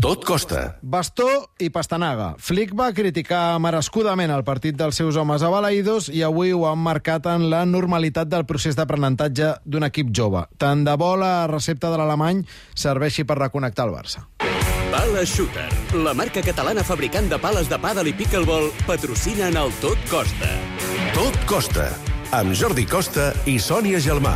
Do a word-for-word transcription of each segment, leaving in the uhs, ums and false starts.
Tot costa. Bastó i pastanaga. Flick va criticar merescudament el partit dels seus homes a Balaïdos i avui ho han marcat en la normalitat del procés d'aprenentatge d'un equip jove. Tant de bo la recepta de l'alemany serveixi per reconnectar el Barça. Pala Shooter, la marca catalana fabricant de pales de pàdel i pickleball, patrocina en el Tot Costa. Tot costa. Amb Jordi Costa i Sònia Gelmà.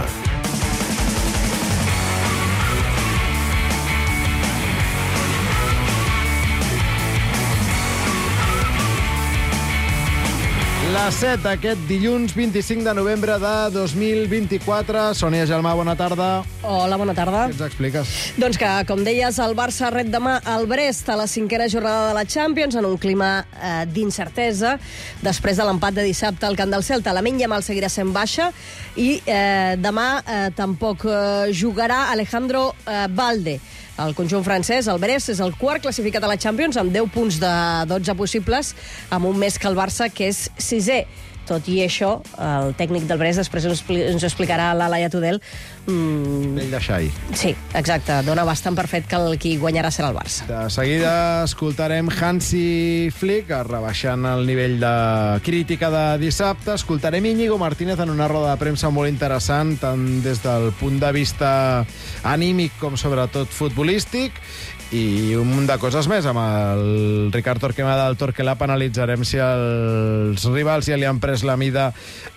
Les set aquest dilluns vint-i-cinc de novembre de dos mil vint-i-quatre. Sònia Gelmà, bona tarda. Hola, bona tarda. Què ens expliques? Doncs que, com deies, el Barça ret demà al Brest a la cinquena jornada de la Champions en un clima eh, d'incertesa després de l'empat de dissabte al camp del Celta. Lamine Yamal seguirà sent baixa i eh, demà eh, tampoc eh, jugarà Alejandro eh, Balde. El conjunt francès, el Brest, és el quart classificat a la Champions amb deu punts de dotze possibles, amb un més que el Barça, que és sisè. Tot i això, el tècnic del Brest després ens, ens ho explicarà l'Alaia Tudel. Mm, Vell de xai. sí, exacte. Dona bastant per fet que el qui guanyarà serà el Barça. De seguida escoltarem Hansi Flick rebaixant el nivell de crítica de dissabte. Escoltarem Íñigo Martínez en una roda de premsa molt interessant, tant des del punt de vista anímic com sobretot futbolístic, i un munt de coses més. Amb el Ricard Torquemada del Torquelab analitzarem si els rivals ja li han pres la mida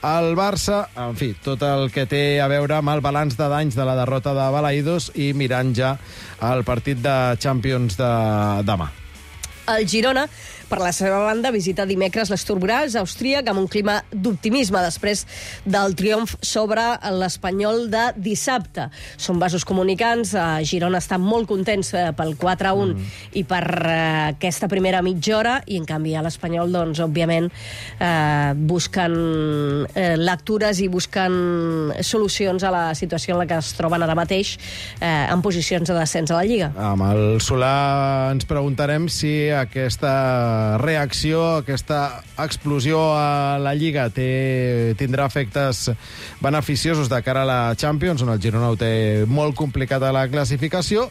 al Barça. En fi, tot el que té a veure amb el balanç de danys de la derrota de Balaïdos i mirant ja el partit de Champions de demà. El Girona, per la seva banda, visita dimecres l'Sturm Graz, austríac, amb un clima d'optimisme després del triomf sobre l'Espanyol de dissabte. Són vasos comunicants. A Girona estan molt contents pel quatre a un mm. i per uh, aquesta primera mitja hora, i en canvi a l'Espanyol, doncs, òbviament, uh, busquen uh, lectures i busquen solucions a la situació en la que es troben ara mateix uh, en posicions de descens a la Lliga. Amb el Solà ens preguntarem si aquesta reacció, aquesta explosió a la Lliga té, tindrà efectes beneficiosos de cara a la Champions, on el Girona ho té molt complicat a la classificació,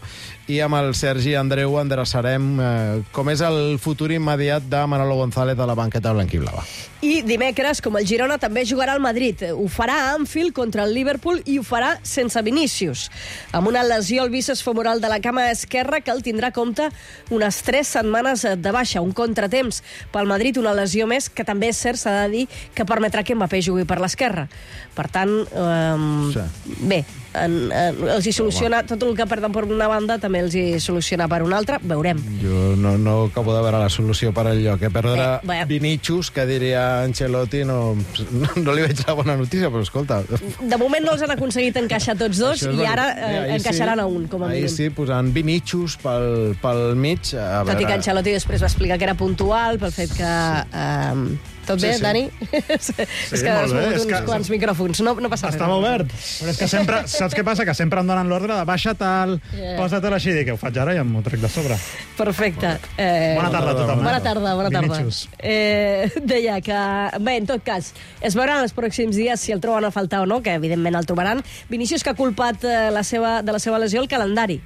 i amb el Sergi Andreu endreçarem eh, com és el futur immediat de Manolo González a la banqueta blanquiblava. I dimecres, com el Girona, també jugarà al Madrid. Ho farà a Anfield contra el Liverpool i ho farà sense Vinícius, amb una lesió al bíceps femoral de la cama esquerra que el tindrà a compte unes tres setmanes de baixa, un contratemps pel Madrid, una lesió més que també és cert, s'ha de dir, que permetrà que Mbappé jugui per l'esquerra. Per tant, eh, sí. bé, en, en, els hi soluciona tot el que perden per una banda, també els hi soluciona per una altra, veurem. Jo no, no acabo de veure la solució per al lloc, eh? Perdre eh, Vinícius, que diria Ancelotti, no, no, no li veig la bona notícia, però escolta... De moment no els han aconseguit encaixar tots dos i ara eh, encaixaran sí, a un, com a mínim. Ahir sí, posant Vinícius pel, pel mig. A Tot veure... i que Ancelotti després va explicar que era puntual pel fet que... Eh, tot bé, sí, sí. Dani? Sí, és que has mogut uns que... quants micròfons. No, no passa res. Estava obert. Però és que sempre, saps què passa? Que sempre em donen l'ordre de baixa tal, yeah. posa-te'l així, i que ho faig ara i em ho trec de sobre. Perfecte. Eh... Bona tarda a tothom. Bona tarda, bona tarda. Vinícius. Eh, deia que, bé, en tot cas, es veuran els pròxims dies si el troben a faltar o no, que evidentment el trobaran. Vinícius, que ha culpat eh, la seva, de la seva lesió el calendari,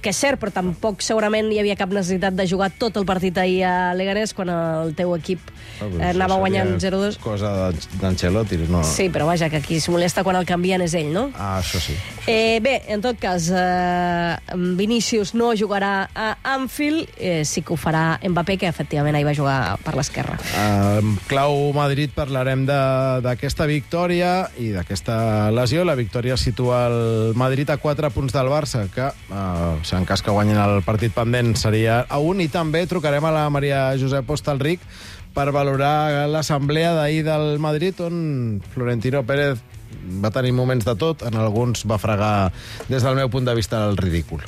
que és cert, però tampoc segurament hi havia cap necessitat de jugar tot el partit ahir a Leganés quan el teu equip eh, anava guanyant zero dos. Cosa d'Ancelotti, no? Sí, però vaja, que qui es molesta quan el canvien és ell, no? Ah, això sí. Eh, bé, en tot cas, eh, Vinícius no jugarà a Anfield, eh, sí que ho farà Mbappé, que efectivament ahir va jugar per l'esquerra. Uh, clau Madrid, parlarem d'aquesta victòria i d'aquesta lesió. La victòria situa el Madrid a quatre punts del Barça, que uh, en cas que guanyin el partit pendent seria a un, i també trucarem a la Maria Josep Hostalric per valorar l'assemblea d'ahir del Madrid, on Florentino Pérez va tenir moments de tot, en alguns va fregar, des del meu punt de vista, el ridícul.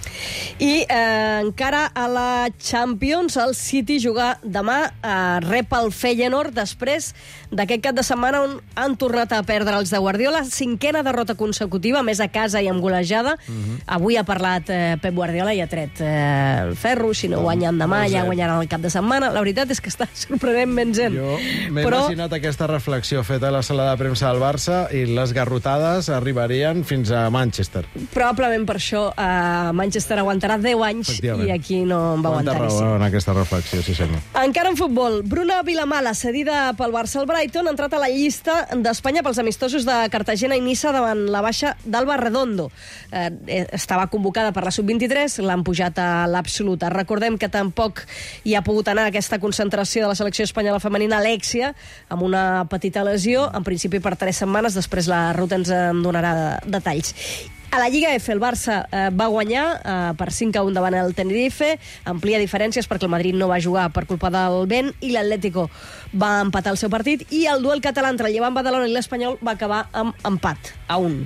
I eh, encara a la Champions, el City juga demà, eh, rep el Feyenoord després d'aquest cap de setmana on han tornat a perdre els de Guardiola, cinquena derrota consecutiva, més a casa i amb golejada. Uh-huh. Avui ha parlat eh, Pep Guardiola i ha tret eh, el ferro, si no guanyen demà ja guanyaran el cap de setmana. La veritat és que està sorprenentment zen. Jo m'he Però... imaginat aquesta reflexió feta a la sala de premsa del Barça i les garrotades arribarien fins a Manchester. Probablement per això uh, Manchester aguantarà deu anys i aquí no en va Quanta aguantar raó en aquesta reflexió, sí senyor. Encara en futbol, Bruna Vilamala, cedida pel Barça al Brighton, ha entrat a la llista d'Espanya pels amistosos de Cartagena i Niça davant la baixa d'Alba Redondo. Eh, estava convocada per la sub vint-i-tres, l'han pujat a l'absoluta. Recordem que tampoc hi ha pogut anar a aquesta concentració de la selecció espanyola femenina Alexia, amb una petita lesió, en principi per tres setmanes, després la Ruta ens en donarà detalls. A la Lliga F, el Barça eh, va guanyar eh, per cinc a un davant el Tenerife, amplia diferències perquè el Madrid no va jugar per culpa del vent i l'Atlético va empatar el seu partit i el duel català entre el Llevant Badalona i l'Espanyol va acabar amb empat a un.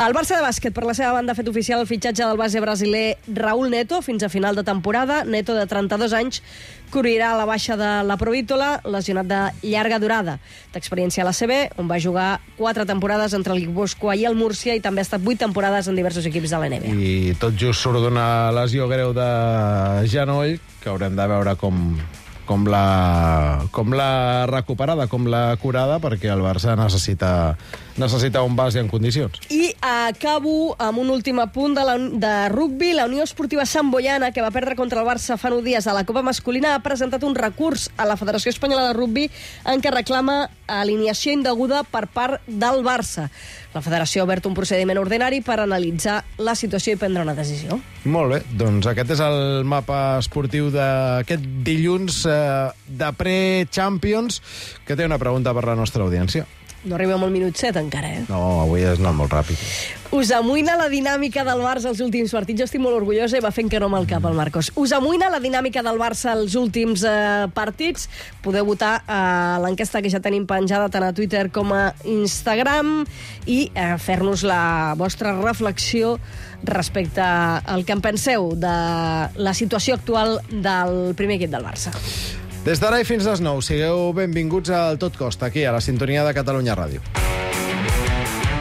El Barça de bàsquet, per la seva banda, ha fet oficial el fitxatge del base brasiler Raúl Neto fins a final de temporada. Neto, de trenta-dos anys, cobrirà la baixa de la Provítola, lesionat de llarga durada. D'experiència a l'A C B, on va jugar quatre temporades entre el Guipúscoa i el Múrcia i també ha estat vuit temporades en diversos equips de l'N B A. I tot just surt d'una lesió greu de genoll, que haurem de veure com... com la, com la recuperada, com la curada, perquè el Barça necessita, necessita un base en condicions. I acabo amb un últim apunt de, la, de rugby. La Unió Esportiva Sant Boiana, que va perdre contra el Barça fa nou dies a la Copa Masculina, ha presentat un recurs a la Federació Espanyola de Rugby en què reclama alineació indeguda per part del Barça. La Federació ha obert un procediment ordinari per analitzar la situació i prendre una decisió. Molt bé, doncs aquest és el mapa esportiu d'aquest dilluns eh, de pre-Champions, que té una pregunta per la nostra audiència. No arribem al minut set encara, eh? No, avui has anat molt ràpid. Us amoïna la dinàmica del Barça als últims partits? Jo estic molt orgullosa i va fent que no amb el cap, el Marcos. Us amoïna la dinàmica del Barça als últims eh, partits? Podeu votar a eh, l'enquesta que ja tenim penjada tant a Twitter com a Instagram i eh, fer-nos la vostra reflexió respecte al que en penseu de la situació actual del primer equip del Barça. Des d'ara i fins les nou, sigueu benvinguts al Tot Costa, aquí, a la sintonia de Catalunya Ràdio.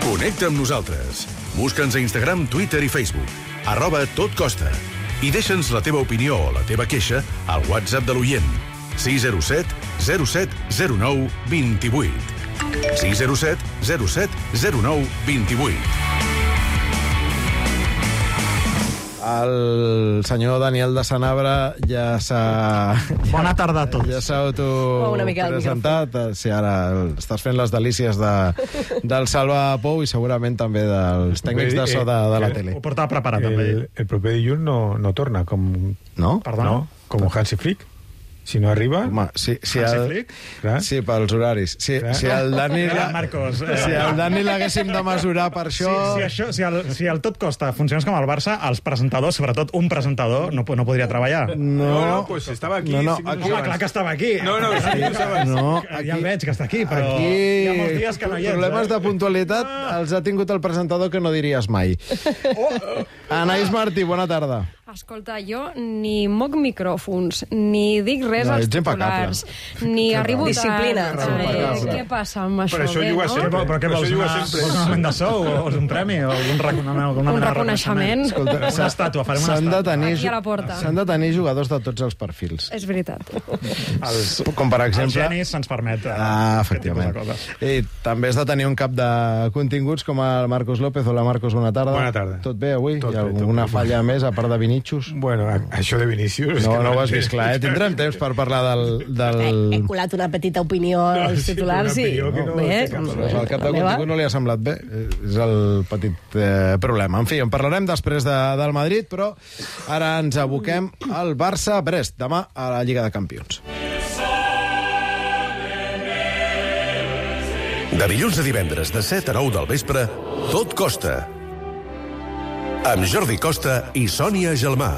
Connecta amb nosaltres. Busca'ns a Instagram, Twitter i Facebook. Arroba Tot Costa. I deixa'ns la teva opinió o la teva queixa al WhatsApp de l'oient. sis zero set zero set zero nou dos vuit. sis zero set zero set zero nou dos vuit. El senyor Daniel de Sanabra ja s'ha... Bona tarda a tots. Ja s'ha Oh, una mica al autopresentat. Sí, ara estàs fent les delícies de, del Salva Pou i segurament també dels tècnics de so de, de la tele. Ho portava preparat, també. El, el proper dilluns no, no torna, com... No? Perdona? No, com Hansi Flick. Si no arriba... Home, sí, sí, Hansi el, Flick? Clar. sí, pels horaris. Sí, Clar. si el Dani... Clar, Marcos, eh. Si el Dani l'haguéssim de mesurar per això... Si, si, això, si, el, si el Tot Costa funcionés com el Barça, els presentadors, sobretot un presentador, no, no podria treballar. No, No, no, pues estava aquí. No, no, cinc aquí- minuts Home, clar abans. que estava aquí. No, no, sí, ho sabes. No, Ja aquí, el veig que està aquí, però aquí hi ha molts dies que no hi ets. problemes eh? de puntualitat els ha tingut el presentador que no diries mai. Anaïs Martí, bona tarda. Escolta, jo ni moc micròfons, ni dic res No, als ets impecable. titulars, ni arribo tard. Disciplina. Eh, Impecable. què passa amb això? Per això Bé, juga no? sempre. Però, però què Per vols? això juga Una, sempre. vols un augment de sou? O vols un premi? O algun, rec una, alguna Un mena de reconeixement. Escolta, Una s'ha- estàtua, farem una s'han de estàtua. tenir, Aquí a la porta. s'han de tenir jugadors de tots els perfils. És veritat. Els, Com per els exemple... genis se'ns permet eh, Ah, aquest tipus efectivament. de coses. I també has de tenir un cap de continguts com el Marcos López. Hola, Marcos, bona tarda. Bona tarda. Tot bé avui? Tot Hi ha bé, tot alguna bé. falla més, a part de Vinicius? Bueno, a- això de Vinícius... és No, que no ho has vist clar, eh? Tindrem temps per parlar del... del... He, he colat una petita opinió als sí, titulars una i... opinió que no Bé, té cap doncs, problema. Al cap de la meva. contingut no li ha semblat bé. És el petit eh, problema. En fi, en parlarem després de, del Madrid, però ara ens aboquem al Barça-Brest, demà a la Lliga de Campions. De dilluns a divendres, de set a nou del vespre, Tot Costa. Amb Jordi Costa i Sònia Gelmà.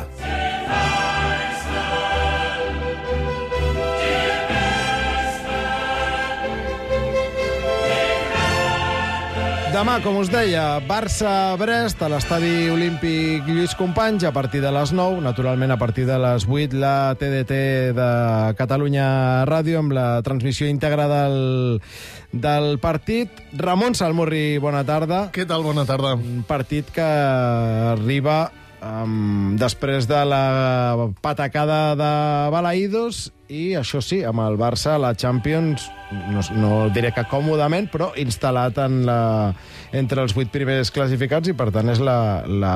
Demà, com us deia, Barça-Brest a l'estadi olímpic Lluís Companys a partir de les nou, naturalment a partir de les vuit la T D T de Catalunya Ràdio amb la transmissió íntegra del, del partit. Ramon Salmurri, bona tarda. Què tal? Bona tarda. Un partit que arriba um, després de la patacada de Balaïdos i això sí, amb el Barça la Champions, no, no diré que còmodament, però instal·lat en la, entre els vuit primers classificats, i per tant és la, la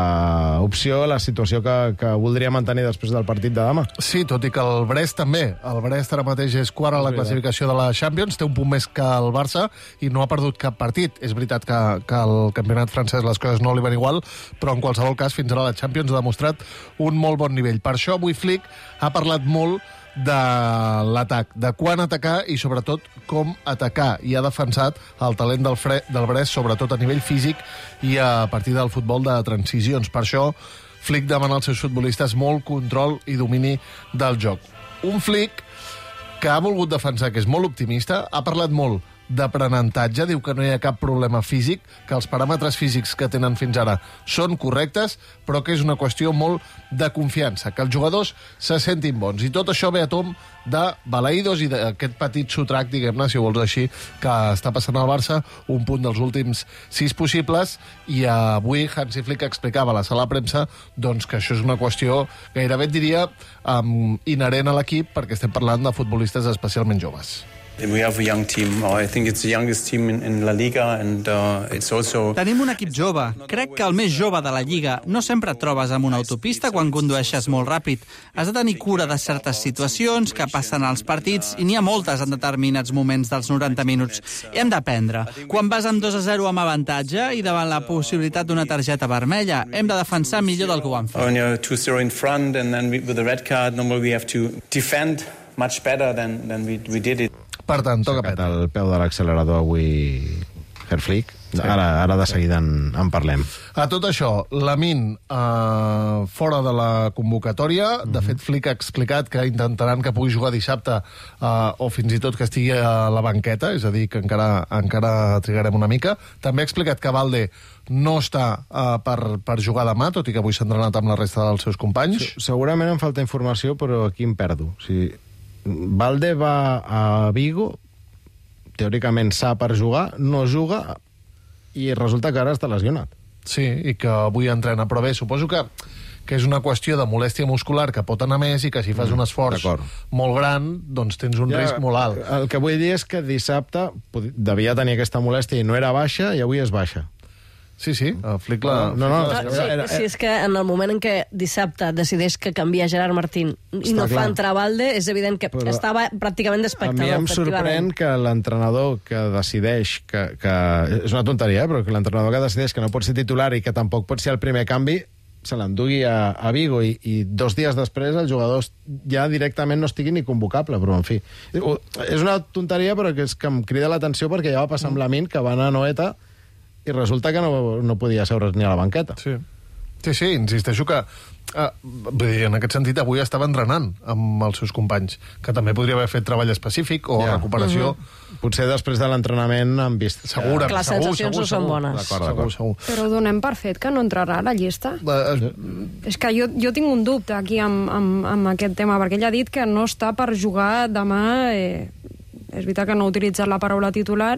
opció, la situació que, que voldria mantenir després del partit de demà. Sí, tot i que el Brest també. El Brest ara mateix és quart a la classificació de la Champions, té un punt més que el Barça i no ha perdut cap partit. És veritat que, que el campionat francès les coses no li van igual, però en qualsevol cas fins ara la Champions ha demostrat un molt bon nivell. Per això avui Flick ha parlat molt de l'atac, de quan atacar i sobretot com atacar, i ha defensat el talent del, fre del Brest, sobretot a nivell físic i a partir del futbol de transicions. Per això Flick demana als seus futbolistes molt control i domini del joc. Un Flick que ha volgut defensar, que és molt optimista, ha parlat molt d'aprenentatge, diu que no hi ha cap problema físic, que els paràmetres físics que tenen fins ara són correctes, però que és una qüestió molt de confiança, que els jugadors se sentin bons. I tot això ve a tom de balaïdos i d'aquest petit sotrac, diguem-ne, si ho vols així, que està passant al Barça, un punt dels últims sis possibles, i avui Hansi Flick explicava a la sala de premsa doncs, que això és una qüestió, gairebé et diria, um, inherent a l'equip, perquè estem parlant de futbolistes especialment joves. We have a young team. I think it's the youngest team in, in La Liga, and uh, it's also... Tenim un equip jove. Crec que el més jove de la Lliga. No sempre et trobes amb una autopista quan condueixes molt ràpid. Has de tenir cura de certes situacions que passen als partits, i n'hi ha moltes en determinats moments dels noranta minuts. Hem d'aprendre. Quan vas amb dos a zero amb avantatge i davant la possibilitat d'una targeta vermella, hem de defensar millor del que ho han fet. When you're two zero in front, and then we, with the red card, normally we have to defend much better than, than we, we did it. Per tant, toca petar. El peu de l'accelerador avui, Herr Flick. Sí. Ara, ara de seguida en, en parlem. A tot això, Lamine eh, fora de la convocatòria. Mm-hmm. De fet, Flick ha explicat que intentaran que pugui jugar dissabte eh, o fins i tot que estigui a la banqueta, és a dir, que encara, encara trigarem una mica. També ha explicat que Valde no està eh, per, per jugar demà, tot i que avui s'ha entrenat amb la resta dels seus companys. Sí, segurament em falta informació, però aquí em perdo. O sigui, Valde va a Vigo, teòricament s'ha per jugar, no juga, i resulta que ara està lesionat. Sí, i que avui entrena, però bé, suposo que, que és una qüestió de molèstia muscular que pot anar més i que si fas mm, un esforç molt gran, doncs tens un ja, risc molt alt. El que vull dir és que dissabte devia tenir aquesta molèstia i no era baixa, i avui és baixa. Sí, sí, el Flick la... No, no, no, sí, sí, és que en el moment en què dissabte decideix que canvia Gerard Martín i està no clar. Fa entrar Valde, és evident que però estava pràcticament d'espectador. A mi em sorprèn que l'entrenador que decideix que, que... És una tonteria, eh? Però que l'entrenador que decideix que no pot ser titular i que tampoc pot ser el primer canvi se l'endugui a, a Vigo, i, i dos dies després el jugador ja directament no estigui ni convocable, però en fi. És una tonteria, però que és que em crida l'atenció perquè ja va passar amb Lamine, que va anar a Noeta i resulta que no, no podia seure's ni a la banqueta. Sí, sí, sí, insisteixo que eh, en aquest sentit avui estava entrenant amb els seus companys, que també podria haver fet treball específic o ja. recuperació. Uh-huh. Potser després de l'entrenament han vist... Segur, que les segur, sensacions segur, no són segur. bones. D'acord, d'acord. Segur, segur. Però donem per fet que no entrarà a la llista. Uh, És que jo, jo tinc un dubte aquí amb, amb, amb aquest tema, perquè ell ha dit que no està per jugar demà. Eh, és veritat que no ha utilitzat la paraula titular,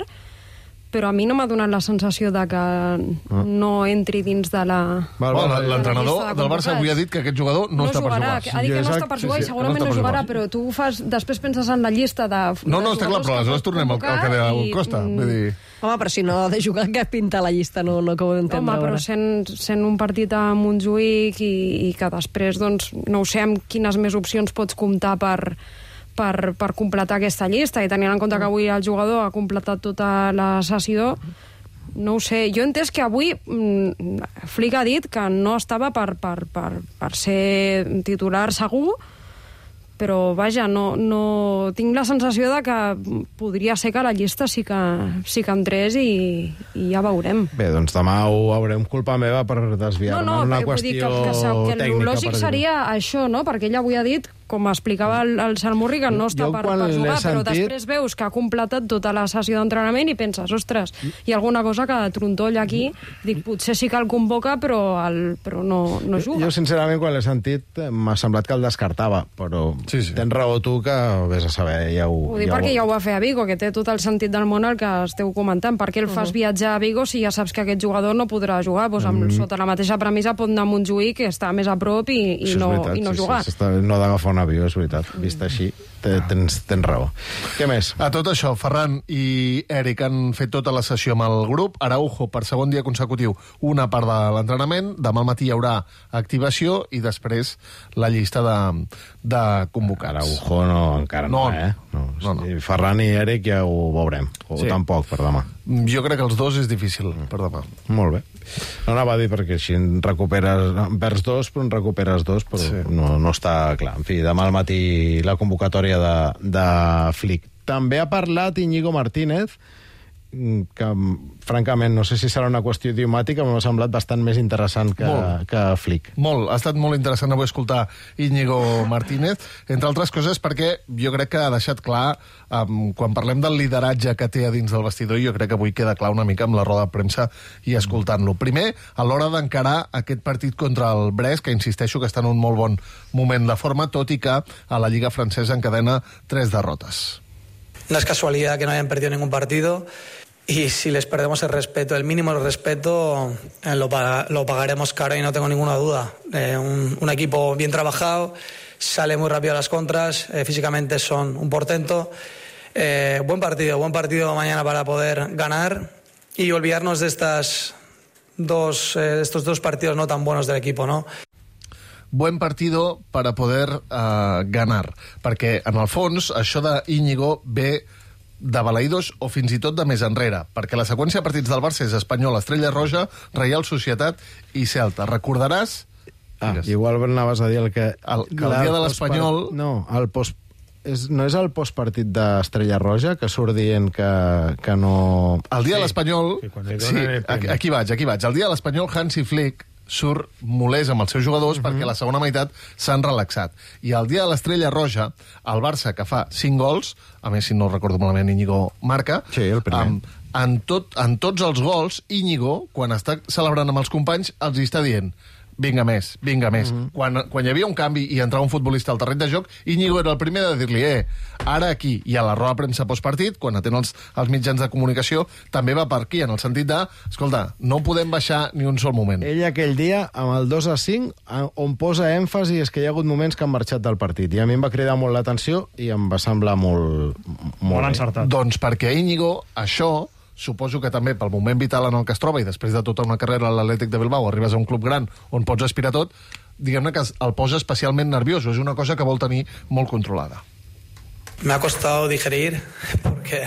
però a mi no m'ha donat la sensació de que ah. no entri dins de la... L'entrenador del Barça avui ha dit que aquest jugador no, no està jugarà, per jugar. Ha dit que no està per jugar, sí, sí, i segurament no, no jugarà, però tu fas, després penses en la llista de... No, no, està clar, però aleshores tornem al que deia el Costa. Vull dir... Home, però si no ha de jugar, què pinta la llista? No, no acabo d'entendre. Home, però sent, sent un partit a Montjuïc i, i que després, doncs, no ho sé, amb quines més opcions pots comptar per... Per, per completar aquesta llista, i tenint en compte que avui el jugador ha completat tota la sessió, no ho sé. Jo he entès que avui mm, Flick ha dit que no estava per, per, per, per ser titular segur, però vaja, no, no tinc la sensació de que podria ser que la llista sí que, sí que entrés i, i ja veurem. Bé, doncs demà ho veurem, culpa meva per desviar-me no, no, en una qüestió qüestió que, que, que tècnica. El lògic seria això, no? Perquè ell avui ha dit, com explicava el, el Salmurri, que no està per, per jugar, però sentit... després veus que ha completat tota la sessió d'entrenament i penses, ostres, hi ha alguna cosa que trontolla aquí, dic, potser sí que el convoca, però, el, però no, no juga. Jo, sincerament, quan l'he sentit, m'ha semblat que el descartava, però sí, sí. Tens raó tu que vés a saber, ja ho... Ho dic ja perquè ho... ja ho va fer a Vigo, que té tot el sentit del món el que esteu comentant. Per què el fas uh-huh. viatjar a Vigo si ja saps que aquest jugador no podrà jugar? Doncs amb, mm. sota la mateixa premissa pot anar a Montjuïc, que està més a prop, i, i, no, veritat, i no sí, jugar. Sí, no ha d'agafar un Bernabéu, és veritat. Vist així, tens, tens raó. Què més? A tot això, Ferran i Eric han fet tota la sessió amb el grup. Araujo, per segon dia consecutiu, una part de l'entrenament. Demà al matí hi haurà activació i després la llista de, de convocats. Araujo no, encara no, no eh? No. No, no. Ferran i Eric ja ho veurem. O sí. Tampoc per demà. Jo crec que els dos és difícil per demà. Molt bé. No anava a dir perquè així en recuperes, perds dos, però en recuperes dos, però sí. no, no està clar. En fi, demà al matí la convocatòria de, de Flick. També ha parlat Íñigo Martínez, que francament no sé si serà una qüestió idiomàtica, m'ha semblat bastant més interessant que, que Flick. Molt, ha estat molt interessant avui escoltar Íñigo Martínez, entre altres coses perquè jo crec que ha deixat clar, um, quan parlem del lideratge que té a dins del vestidor, jo crec que avui queda clar una mica amb la roda de premsa i escoltant-lo. Primer, a l'hora d'encarar aquest partit contra el Brest, que insisteixo que està en un molt bon moment de forma, tot i que a la Lliga francesa encadena tres derrotes. No es casualidad que no hayan perdido ningún partido y si les perdemos el respeto, el mínimo respeto, eh, lo, pag lo pagaremos caro y no tengo ninguna duda. Eh, un, un equipo bien trabajado, sale muy rápido a las contras, eh, físicamente son un portento. Eh, buen partido, buen partido mañana para poder ganar y olvidarnos de estas dos, eh, estos dos partidos no tan buenos del equipo, ¿no? Buen partido para poder uh, ganar, perquè en el fons això de Íñigo ve de balaïdos o fins i tot de més enrere, perquè la seqüència de partits del Barça és Espanyol, Estrella Roja, Reial Societat i Celta. Recordaràs? Ah, digues. Igual anaves a dir el que... El, que el dia de l'Espanyol... No, el post... És, no és el postpartit d'Estrella Roja que surt dient que, que no... El dia sí. de l'Espanyol... Sí, aquí, aquí vaig, aquí vaig. El dia de l'Espanyol, Hansi Flick surt molest amb els seus jugadors uh -huh. perquè a la segona meitat s'han relaxat. I el dia de l'Estrella Roja, el Barça, que fa cinc gols, a més, si no recordo malament, Íñigo marca, sí, el primer. Amb, en, tot, en tots els gols, Íñigo, quan està celebrant amb els companys, els hi està dient vinga més, vinga més. Uh-huh. Quan, quan hi havia un canvi i entrava un futbolista al terreny de joc, Íñigo era el primer de dir-li, eh, ara aquí, i a la roda de premsa postpartit, quan atén els, els mitjans de comunicació, també va per aquí, en el sentit de, escolta, no podem baixar ni un sol moment. Ell aquell dia, amb el dos a cinc, on posa èmfasi és que hi ha hagut moments que han marxat del partit, i a mi em va cridar molt l'atenció i em va semblar molt... Molt, molt encertat. Doncs perquè Íñigo, això... Suposo que també pel moment vital en el que es troba i després de tota una carrera a l'Atlètic de Bilbao arribes a un club gran on pots aspirar tot, diguem-ne que el posa especialment nerviós, és una cosa que vol tenir molt controlada. Me ha costado digerir porque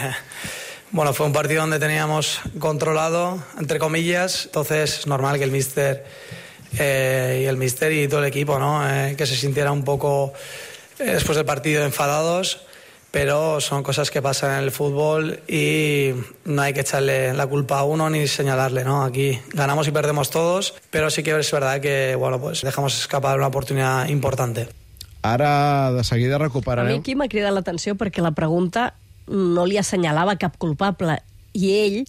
bueno, fue un partido donde teníamos controlado, entre comillas, entonces es normal que el míster eh, y el míster y todo el equipo, ¿no? Eh, que se sintiera un poco eh, después del partido enfadados. Pero son cosas que pasan en el fútbol y no hay que echarle la culpa a uno ni señalarle, ¿no? Aquí ganamos y perdemos todos, pero sí que es verdad que, bueno, pues dejamos escapar una oportunidad importante. Ara, de seguida, recuperarem... A mi aquí m'ha cridat l'atenció perquè la pregunta no li assenyalava cap culpable i ell,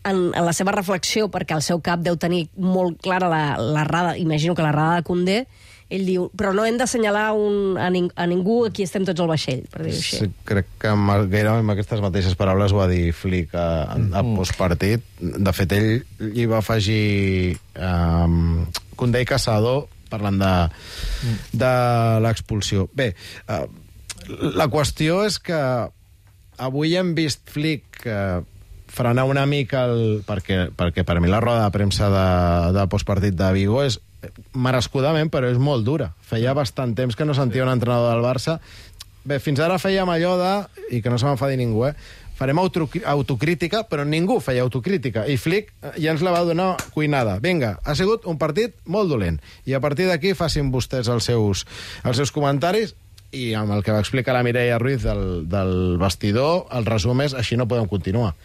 en, en la seva reflexió, perquè el seu cap deu tenir molt clara la, la rada, imagino que la rada de Koundé, ell diu, però no hem d'assenyalar un, a, ning a ningú, aquí estem tots al vaixell, per dir-ho així. Sí, crec que amb, gairebé amb aquestes mateixes paraules ho va dir Flick a, a postpartit. De fet, ell hi va afegir um, Koundé i Casado parlant de, de l'expulsió. Bé, uh, la qüestió és que avui hem vist Flick uh, frenar una mica el, perquè, perquè per mi la roda de premsa de, de postpartit de Vigo és merescudament, però és molt dura. Feia bastant temps que no sentia un entrenador del Barça. Bé, fins ara fèiem allò de, i que no se m'enfadi ningú, eh? Farem autocrítica, però ningú feia autocrítica. I Flick ja ens la va donar cuinada. Vinga, ha sigut un partit molt dolent. I a partir d'aquí facin vostès els seus, els seus comentaris i amb el que va explicar la Mireia Ruiz del, del vestidor, el resum és així no podem continuar.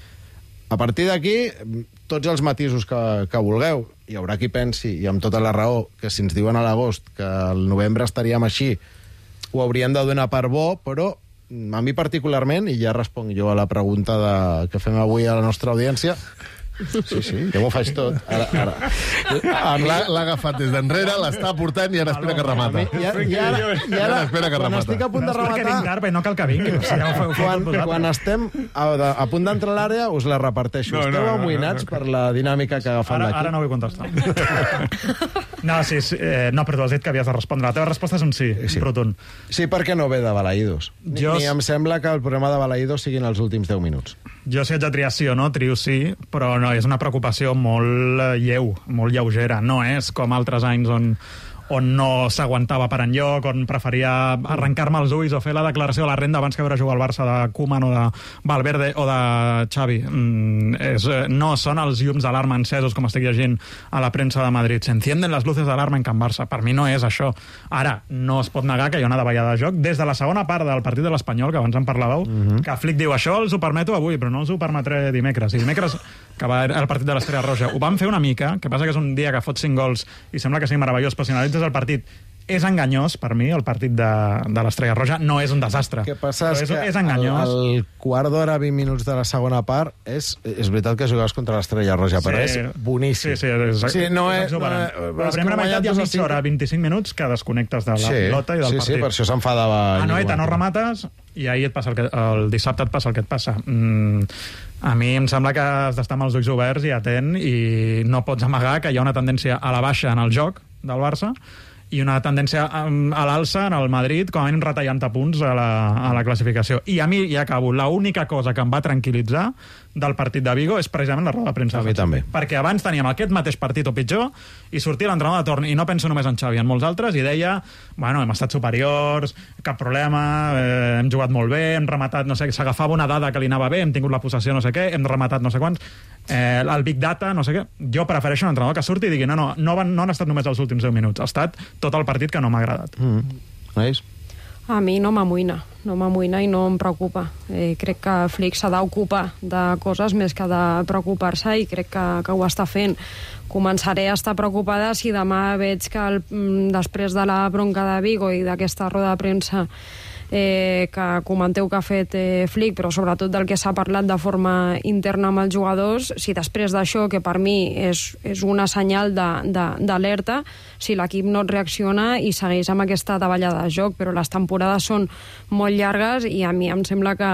A partir d'aquí, tots els matisos que, que vulgueu. Hi haurà qui pensi, i amb tota la raó, que si ens diuen a l'agost que al novembre estaríem així, ho haurien de donar per bo, però a mi particularment, i ja responc jo a la pregunta de, que fem avui a la nostra audiència, sí, sí, jo m'ho faig tot. Ara, ara. L'ha agafat des d'enrere, l'està portant i ara espera que remata. I ara, i ara, i ara espera que quan remata. estic a punt de rematar... No cal que vingui. Quan, quan estem a, a punt d'entrar a l'àrea, us la reparteixo. No, no, Esteu no, amoïnats no, no. per la dinàmica que agafem d'aquí? Ara no vull contestar. No, sí, sí eh, no, però tu has dit que havies de respondre. La teva resposta és un sí, sí. rotund. Sí, perquè no ve de Balaïdos. Ni, Jo... ni em sembla que el problema de Balaïdos siguin els últims deu minuts. Jo si haig de triar sí o no, trio sí, però no, és una preocupació molt lleu, molt lleugera. No és com altres anys on on no s'aguantava per enlloc, on preferia arrencar-me els ulls o fer la declaració de la renda abans que veure jugar al Barça de Koeman o de Valverde o de Xavi. Mm, és, no són els llums d'alarma encesos, com estic llegint a la premsa de Madrid. Se encienden las luces d'alarma en Can Barça. Per mi no és això. Ara, no es pot negar que hi ha una davallada de joc des de la segona part del partit de l'Espanyol, que abans en parlàveu, uh-huh. que Flick diu, això els ho permeto avui, però no els ho permetré dimecres. I dimecres, que va el partit de l'Estrella Roja, ho van fer una mica, que passa que és un dia que fot cinc gols i sembla que sigui meravellós, però si analitzes el partit, és enganyós, per mi, el partit de, de l'Estrella Roja. No és un desastre. El que passa és, és que és enganyós. El, el quart d'hora, vint minuts de la segona part, és, és veritat que jugaves contra l'Estrella Roja, sí, però és boníssim. Sí, sí, és, sí no és, és, no, no, però la primera meitat hi ha mitja hora, vint-i-cinc minuts, que desconnectes de la sí, pilota i del sí, partit. Sí, per això s'enfadava. A Noeta no remates i ahir et passa el, que, el dissabte et passa el que et passa. Mm, a mi em sembla que has d'estar amb els ulls oberts i atent i no pots amagar que hi ha una tendència a la baixa en el joc del Barça i una tendència a, a l'alça en el Madrid, com a mínim retallant a punts a la, a la classificació. I a mi, ja acabo, l'única cosa que em va tranquil·litzar del partit de Vigo és precisament la roda de premsa. A mi també. Perquè abans teníem aquest mateix partit o pitjor i sortia l'entrenador de torn, i no penso només en Xavi, en molts altres, i deia, bueno, hem estat superiors, cap problema, eh, hem jugat molt bé, hem rematat, no sé, s'agafava una dada que li anava bé, hem tingut la possessió no sé què, hem rematat no sé quants, eh, el Big Data, no sé què. Jo prefereixo un entrenador que surti i digui, no, no, no, van, no han estat només els últims deu minuts, ha estat tot el partit que no m'ha agradat. Mm. Veus? A mi no m'amoïna, no m'amoïna i no em preocupa. Eh, crec que Flick s'ha d'ocupar de coses més que de preocupar-se i crec que, que ho està fent. Començaré a estar preocupada si demà veig que el, després de la bronca de Vigo i d'aquesta roda de premsa eh, que comenteu que ha fet eh, Flick, però sobretot del que s'ha parlat de forma interna amb els jugadors, si després d'això, que per mi és, és una senyal d'alerta, si l'equip no reacciona i segueix amb aquesta davallada de joc, però les temporades són molt llargues i a mi em sembla que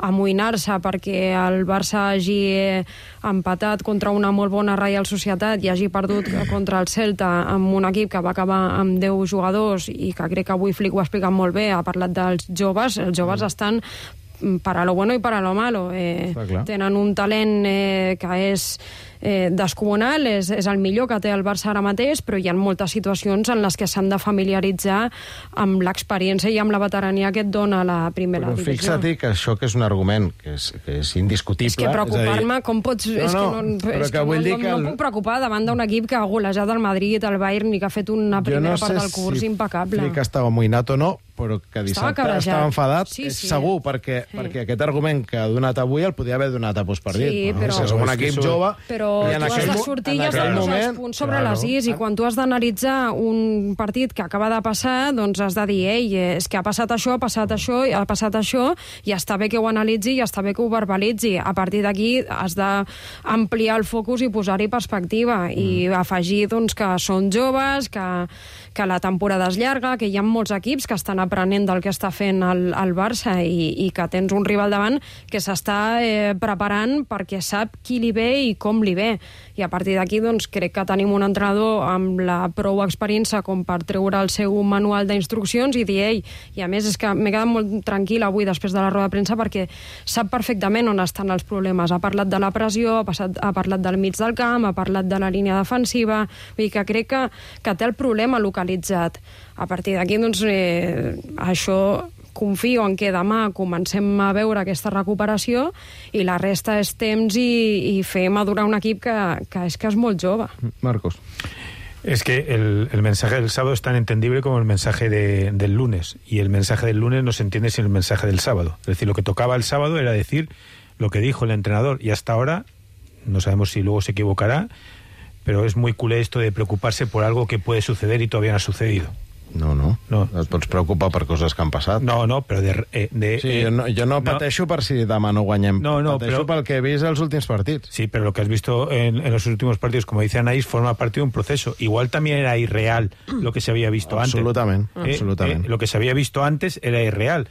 amoïnar-se perquè el Barça hagi empatat contra una molt bona Reial Societat i hagi perdut contra el Celta amb un equip que va acabar amb deu jugadors i que crec que avui Flick ho ha explicat molt bé, ha parlat dels joves, els joves mm. estan para lo bueno i para lo malo. Eh, tenen un talent eh, que és eh, descomunal, és, és el millor que té el Barça ara mateix, però hi ha moltes situacions en les que s'han de familiaritzar amb l'experiència i amb la veterania que et dona la primera però divisió. Fixa't que això que és un argument que és, que és indiscutible... És que preocupar-me, com pots... No, és no, que no, però és que que vull no, dir no, que el... no puc preocupar davant d'un equip que ha golejat el Madrid, el Bayern i que ha fet una primera no part del curs si impecable. Flick estava amoïnat o no, però que dissabte estava, estava enfadat, sí, és sí. segur, perquè, sí. perquè aquest argument que ha donat avui el podia haver donat a postpartit. Sí, no? però... O sigui, som un equip jove... Però i en tu has de sortir i has de posar moment, els punts sobre claro. les is, i quan tu has d'analitzar un partit que acaba de passar, doncs has de dir, ei, és que ha passat això, ha passat això, ha passat això, i està bé que ho analitzi i està bé que ho verbalitzi. A partir d'aquí has d'ampliar el focus i posar-hi perspectiva, mm. i afegir doncs, que són joves, que, que la temporada és llarga, que hi ha molts equips que estan aprenent del que està fent el, el Barça i, i que tens un rival davant que s'està eh, preparant perquè sap qui li ve i com li ve. I a partir d'aquí doncs, crec que tenim un entrenador amb la prou experiència com per treure el seu manual d'instruccions i dir, ei, i a més és que m'he quedat molt tranquil avui després de la roda de premsa perquè sap perfectament on estan els problemes. Ha parlat de la pressió, ha, passat, ha parlat del mig del camp, ha parlat de la línia defensiva, vull dir que crec que, que té el problema localitzat. A partir d'aquí, doncs, eh, això confio en que demà comencem a veure aquesta recuperació i la resta és temps i, i fer madurar un equip que, que és que és molt jove. Marcos. Es que el, el mensaje del sábado es tan entendible como el mensaje de, del lunes, y el mensaje del lunes no se entiende sin el mensaje del sábado. Es decir, lo que tocaba el sábado era decir lo que dijo el entrenador, y hasta ahora, no sabemos si luego se equivocará, pero es muy culé esto de preocuparse por algo que puede suceder y todavía no ha sucedido. No, no, no. Et pots preocupar per coses que han passat. No, no, però de... Eh, de sí, jo no, jo no pateixo no. per si demà no guanyem. No, no, pateixo pero, pel que he vist els últims partits. Sí, pero lo que has visto en, en los últimos partidos, como dice Anaís, forma parte de un proceso. Igual también era irreal lo que se había visto absolutamente, antes. Eh, absolutamente. Eh, lo que se había visto antes era irreal.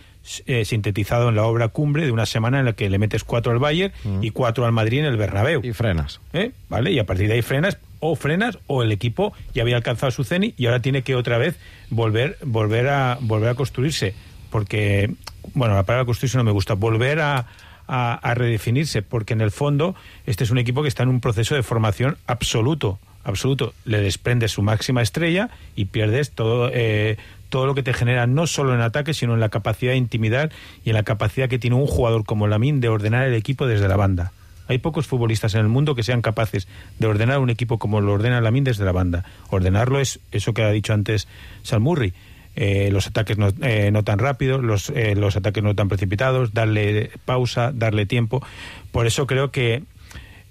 Eh, sintetizado en la obra cumbre de una semana en la que le metes cuatro al Bayern mm. y cuatro al Madrid en el Bernabéu. Y frenas. ¿Eh? ¿Vale? Y a partir de ahí frenas o frenas o el equipo ya había alcanzado su cenit y ahora tiene que otra vez volver, volver, a, volver a construirse. Porque, bueno, la palabra construirse no me gusta, volver a, a, a redefinirse, porque en el fondo este es un equipo que está en un proceso de formación absoluto, absoluto. Le desprendes su máxima estrella y pierdes todo, eh, todo lo que te genera, no solo en ataque, sino en la capacidad de intimidar y en la capacidad que tiene un jugador como Lamine de ordenar el equipo desde la banda. Hay pocos futbolistas en el mundo que sean capaces de ordenar un equipo como lo ordena Lamine desde la banda. Ordenarlo es eso que ha dicho antes Sal Murray. Eh, los ataques no, eh, no tan rápidos, los, eh, los ataques no tan precipitados, darle pausa, darle tiempo. Por eso creo que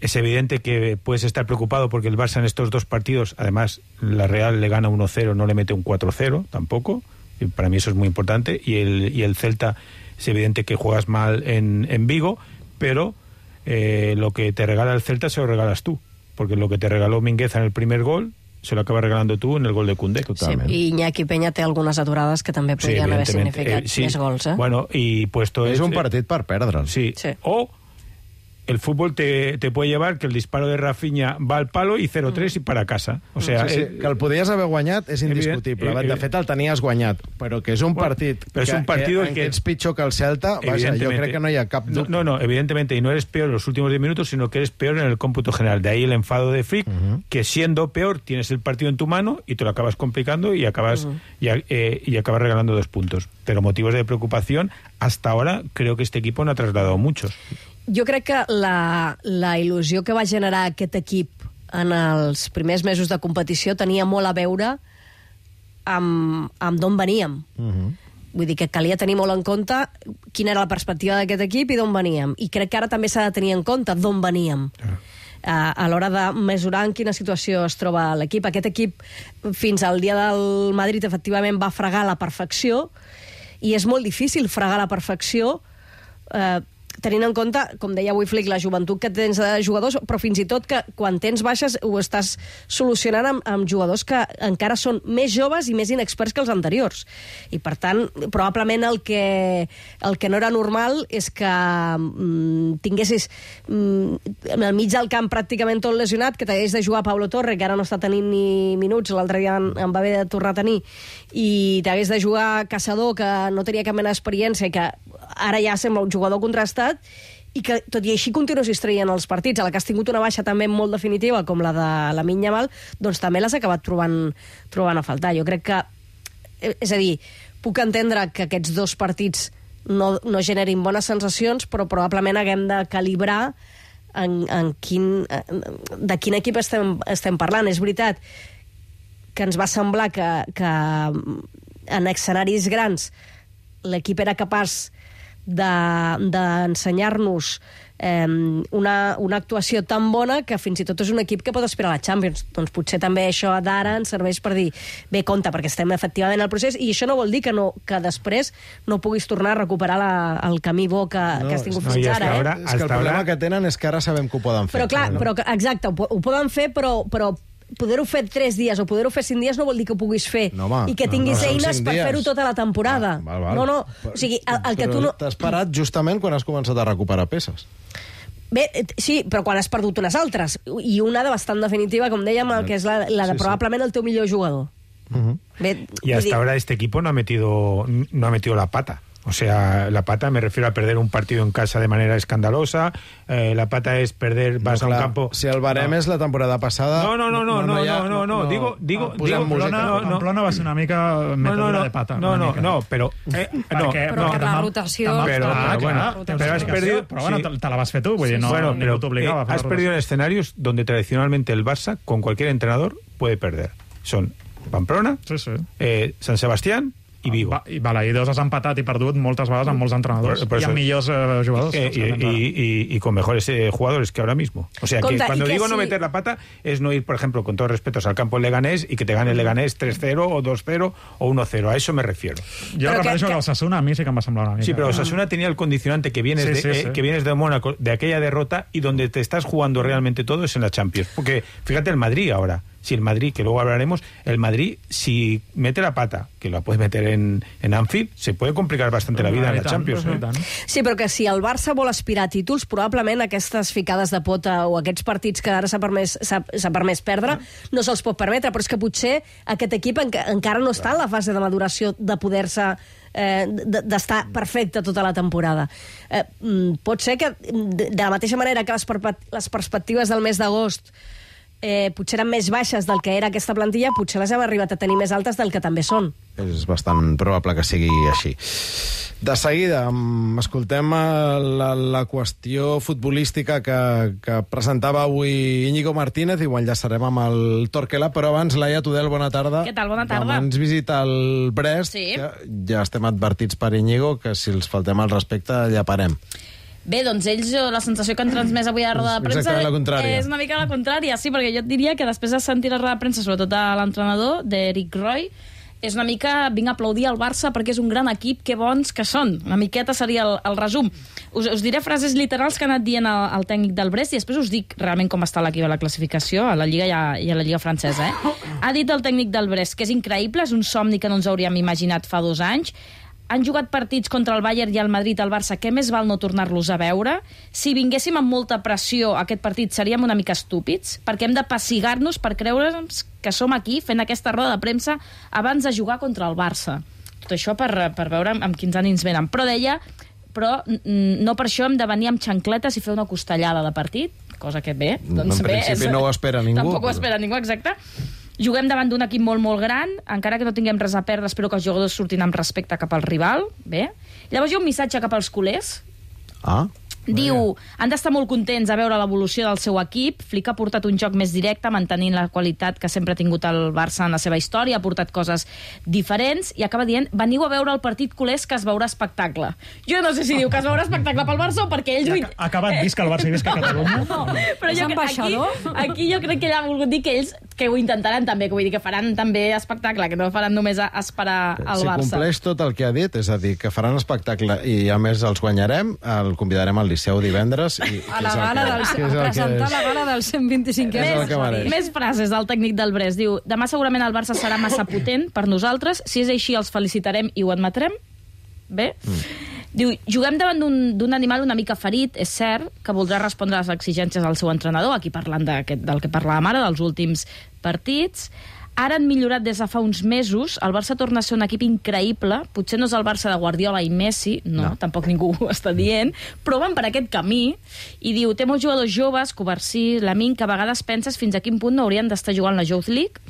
es evidente que puedes estar preocupado porque el Barça en estos dos partidos, además la Real le gana uno cero, no le mete un cuatro cero tampoco, y para mí eso es muy importante, y el, y el Celta es evidente que juegas mal en, en Vigo, pero eh, lo que te regala el Celta se lo regalas tú, porque lo que te regaló Mingueza en el primer gol se lo acabas regalando tú en el gol de Koundé. Totalment. Sí, i Iñaki Peña té algunes aturades que també podrien sí, haver significat eh, sí. més gols. Eh? Bueno, y puesto es es, un partit per perdre'l. Sí. sí. O el fútbol te, te puede llevar que el disparo de Rafinha va al palo i cero tres mm. i para casa. O sea, sí, sí, eh, que el podies haver guanyat és indiscutible. Eh, eh, de fet, el tenies guanyat, però que és un bueno, partit però és un partido que, que, que ets pitjor que el Celta, vaja, jo crec que no hi ha cap dubte. No, no, evidentemente, y no eres peor en los últimos diez minutos, sino que eres peor en el cómputo general. De ahí el enfado de Flick, uh-huh. que siendo peor tienes el partido en tu mano y te lo acabas complicando y acabas, uh-huh. y, eh, y acabas regalando dos puntos. Pero motivos de preocupación, hasta ahora creo que este equipo no ha trasladado muchos. Jo crec que la, la il·lusió que va generar aquest equip en els primers mesos de competició tenia molt a veure amb, amb d'on veníem. Uh-huh. Vull dir que calia tenir molt en compte quina era la perspectiva d'aquest equip i d'on veníem. I crec que ara també s'ha de tenir en compte d'on veníem. Uh-huh. Uh, a l'hora de mesurar en quina situació es troba l'equip. Aquest equip, fins al dia del Madrid, efectivament va fregar la perfecció, i és molt difícil fregar la perfecció eh, uh, tenint en compte, com deia avui Flick, la joventut que tens de jugadors, però fins i tot que quan tens baixes ho estàs solucionant amb, amb jugadors que encara són més joves i més inexperts que els anteriors. I per tant, probablement el que, el que no era normal és que mm, tinguessis mm, en el mig del camp pràcticament tot lesionat, que t'hagués de jugar Pablo Torre, que ara no està tenint ni minuts, l'altre dia en, en va haver de tornar a tenir, i t'hagués de jugar Caçador, que no tenia cap mena d'experiència i que ara ja sembla un jugador contrastat, i que tot i així continuïs traient els partits. A la que has tingut una baixa també molt definitiva, com la de Lamine Yamal, doncs també l'has acabat trobant, trobant a faltar. Jo crec que, és a dir, puc entendre que aquests dos partits no, no generin bones sensacions, però probablement haguem de calibrar en, en quin, de quin equip estem, estem parlant. És veritat que ens va semblar que, que en escenaris grans l'equip era capaç d'ensenyar-nos de, eh, una, una actuació tan bona que fins i tot és un equip que pot aspirar a la Champions. Doncs potser també això d'ara ens serveix per dir, bé, compte, perquè estem efectivament al procés, i això no vol dir que, no, que després no puguis tornar a recuperar la, el camí bo que, no, que has tingut no, fins ara. Eh? Ara, és que el problema que tenen és que ara sabem que ho poden fer. Però clar, no? però, exacte, ho, ho poden fer, però... però poder-ho fer tres dies o poder-ho fer cinc dies no vol dir que ho puguis fer no, home, i que tinguis no, no, eines per fer-ho tota la temporada. Ah, val, val. No, no, o sigui, el, el que tu no... T'has parat justament quan has començat a recuperar peces. Bé, sí, però quan has perdut unes altres, i una de bastant definitiva, com dèiem, que és la, la de sí, probablement sí. el teu millor jugador. Uh-huh. Bé, y hasta dir... ahora este equipo no ha metido, no ha metido la pata. O sea, la pata me refiero a perder un partido en casa de manera escandalosa. Eh, la pata es perder, vas no, a un campo... Si el barem no. és la temporada passada... No, no, no, no, no, no, no, no, no, digo... digo, no, digo Pamplona, no, no, Pamplona va ser una mica metedura no, no, de pata. No, no, no, però... Eh, no, perquè, no, perquè la rotació... Però, ah, bueno, rotació. però has perdido... Però bueno, te, te la vas fer tu, vull dir, no, bueno, ningú t'obligava. Eh, has perdido en escenarios donde tradicionalmente el Barça, con cualquier entrenador, puede perder. Son Pamplona, sí, sí. Eh, San Sebastián i Vigo. I Balaïdos has empatat i perdut moltes vegades amb molts entrenadors por, por y amb millors eh, jugadors. Eh, y, y, y, y con mejores eh, jugadores que ahora mismo. O sea, Conta, que cuando que digo sí. no meter la pata es no ir, por ejemplo, con todos respetos al campo Leganés y que te gane el Leganés tres cero o dos cero o uno cero. A eso me refiero. Yo repeteixo que, que Osasuna a mí sí que em va semblar una mica. Sí, pero Osasuna tenía el condicionante que vienes, sí, sí, de, sí. Eh, que vienes de Mónaco, de aquella derrota, y donde te estás jugando realmente todo es en la Champions. Porque fíjate el Madrid ahora. si el Madrid, que luego hablaremos, el Madrid, si mete la pata, que la puede meter en, en Anfield, se puede complicar bastante la vida en la Champions. Eh? Sí, però que si el Barça vol aspirar a títols, probablement aquestes ficades de pota o aquests partits que ara s'ha permès, s'ha permès perdre, no se'ls pot permetre, però és que potser aquest equip enca encara no està en la fase de maduració de poder-se eh, d'estar perfecte tota la temporada. Eh, pot ser que, de la mateixa manera que les, les perspectives del mes d'agost eh, potser eren més baixes del que era aquesta plantilla, potser les hem arribat a tenir més altes del que també són. És bastant probable que sigui així. De seguida, escoltem la, la qüestió futbolística que, que presentava avui Íñigo Martínez i ho enllaçarem amb el Torquela, però abans, Laia Tudel, bona tarda. Què tal? Bona tarda. Demà ens visita el Brest, sí. que ja estem advertits per Íñigo, que si els faltem al respecte ja parem. Bé, doncs ells, la sensació que han transmès avui a la roda de premsa la contrària. És una mica la contrària, sí, perquè jo et diria que després de sentir la roda de premsa, sobretot a l'entrenador, d'Eric Roy, és una mica vinc a aplaudir al Barça perquè és un gran equip, que bons que són. Una miqueta seria el, el resum. Us, us diré frases literals que ha anat dient el, el tècnic del Brest i després us dic realment com està l'equip a la classificació, a la Lliga i a, i a la Lliga francesa. Eh? Ha dit el tècnic del Brest que és increïble, és un somni que no ens hauríem imaginat fa dos anys. Han jugat partits contra el Bayern i el Madrid, el Barça, que més val no tornar-los a veure. Si vinguéssim amb molta pressió a aquest partit seríem una mica estúpids, perquè hem de passigar-nos per creure'ns que som aquí fent aquesta roda de premsa abans de jugar contra el Barça. Tot això per, per veure amb quins ànims venen. Però deia, però no per això hem de venir amb xancletes i fer una costellada de partit, cosa que bé, doncs en bé... principi és, no ho espera ningú. Tampoc ho espera ningú, exacte. Juguem davant d'un equip molt, molt gran, encara que no tinguem res a perdre, espero que els jugadors surtin amb respecte cap al rival. Bé. Llavors hi ha un missatge cap als culers. Ah. Diu, han d'estar molt contents a veure l'evolució del seu equip. Flick ha portat un joc més directe, mantenint la qualitat que sempre ha tingut el Barça en la seva història, ha portat coses diferents, i acaba dient, veniu a veure el partit culers que es veurà espectacle. Jo no sé si diu que es veurà espectacle pel Barça o perquè ell... Ha, ha acabat visca el Barça i visca Catalunya. No, però jo, aquí, aquí jo crec que ell ha volgut dir que ells que ho intentaran també, que vull dir que faran també espectacle, que no faran només a esperar el si Barça. Si compleix tot el que ha dit, és a dir, que faran espectacle i a més els guanyarem, el convidarem al Liceu divendres. I, a la gala del, a presentar la gala del cent vint-i-cinquè aniversari. Més frases del tècnic del Brest. Diu, demà segurament el Barça serà massa potent per nosaltres. Si és així, els felicitarem i ho admetrem. Bé. Mm. Diu, juguem davant d'un animal una mica ferit, és cert, que voldrà respondre a les exigències del seu entrenador, aquí parlant del que parlàvem ara, dels últims partits. Ara han millorat des de fa uns mesos, el Barça torna a ser un equip increïble, potser no és el Barça de Guardiola i Messi, no, no. Tampoc ningú ho està dient, però van per aquest camí, i diu, té molts jugadors joves, Covarsí, Lamine, que a vegades penses fins a quin punt no haurien d'estar jugant la Youth League,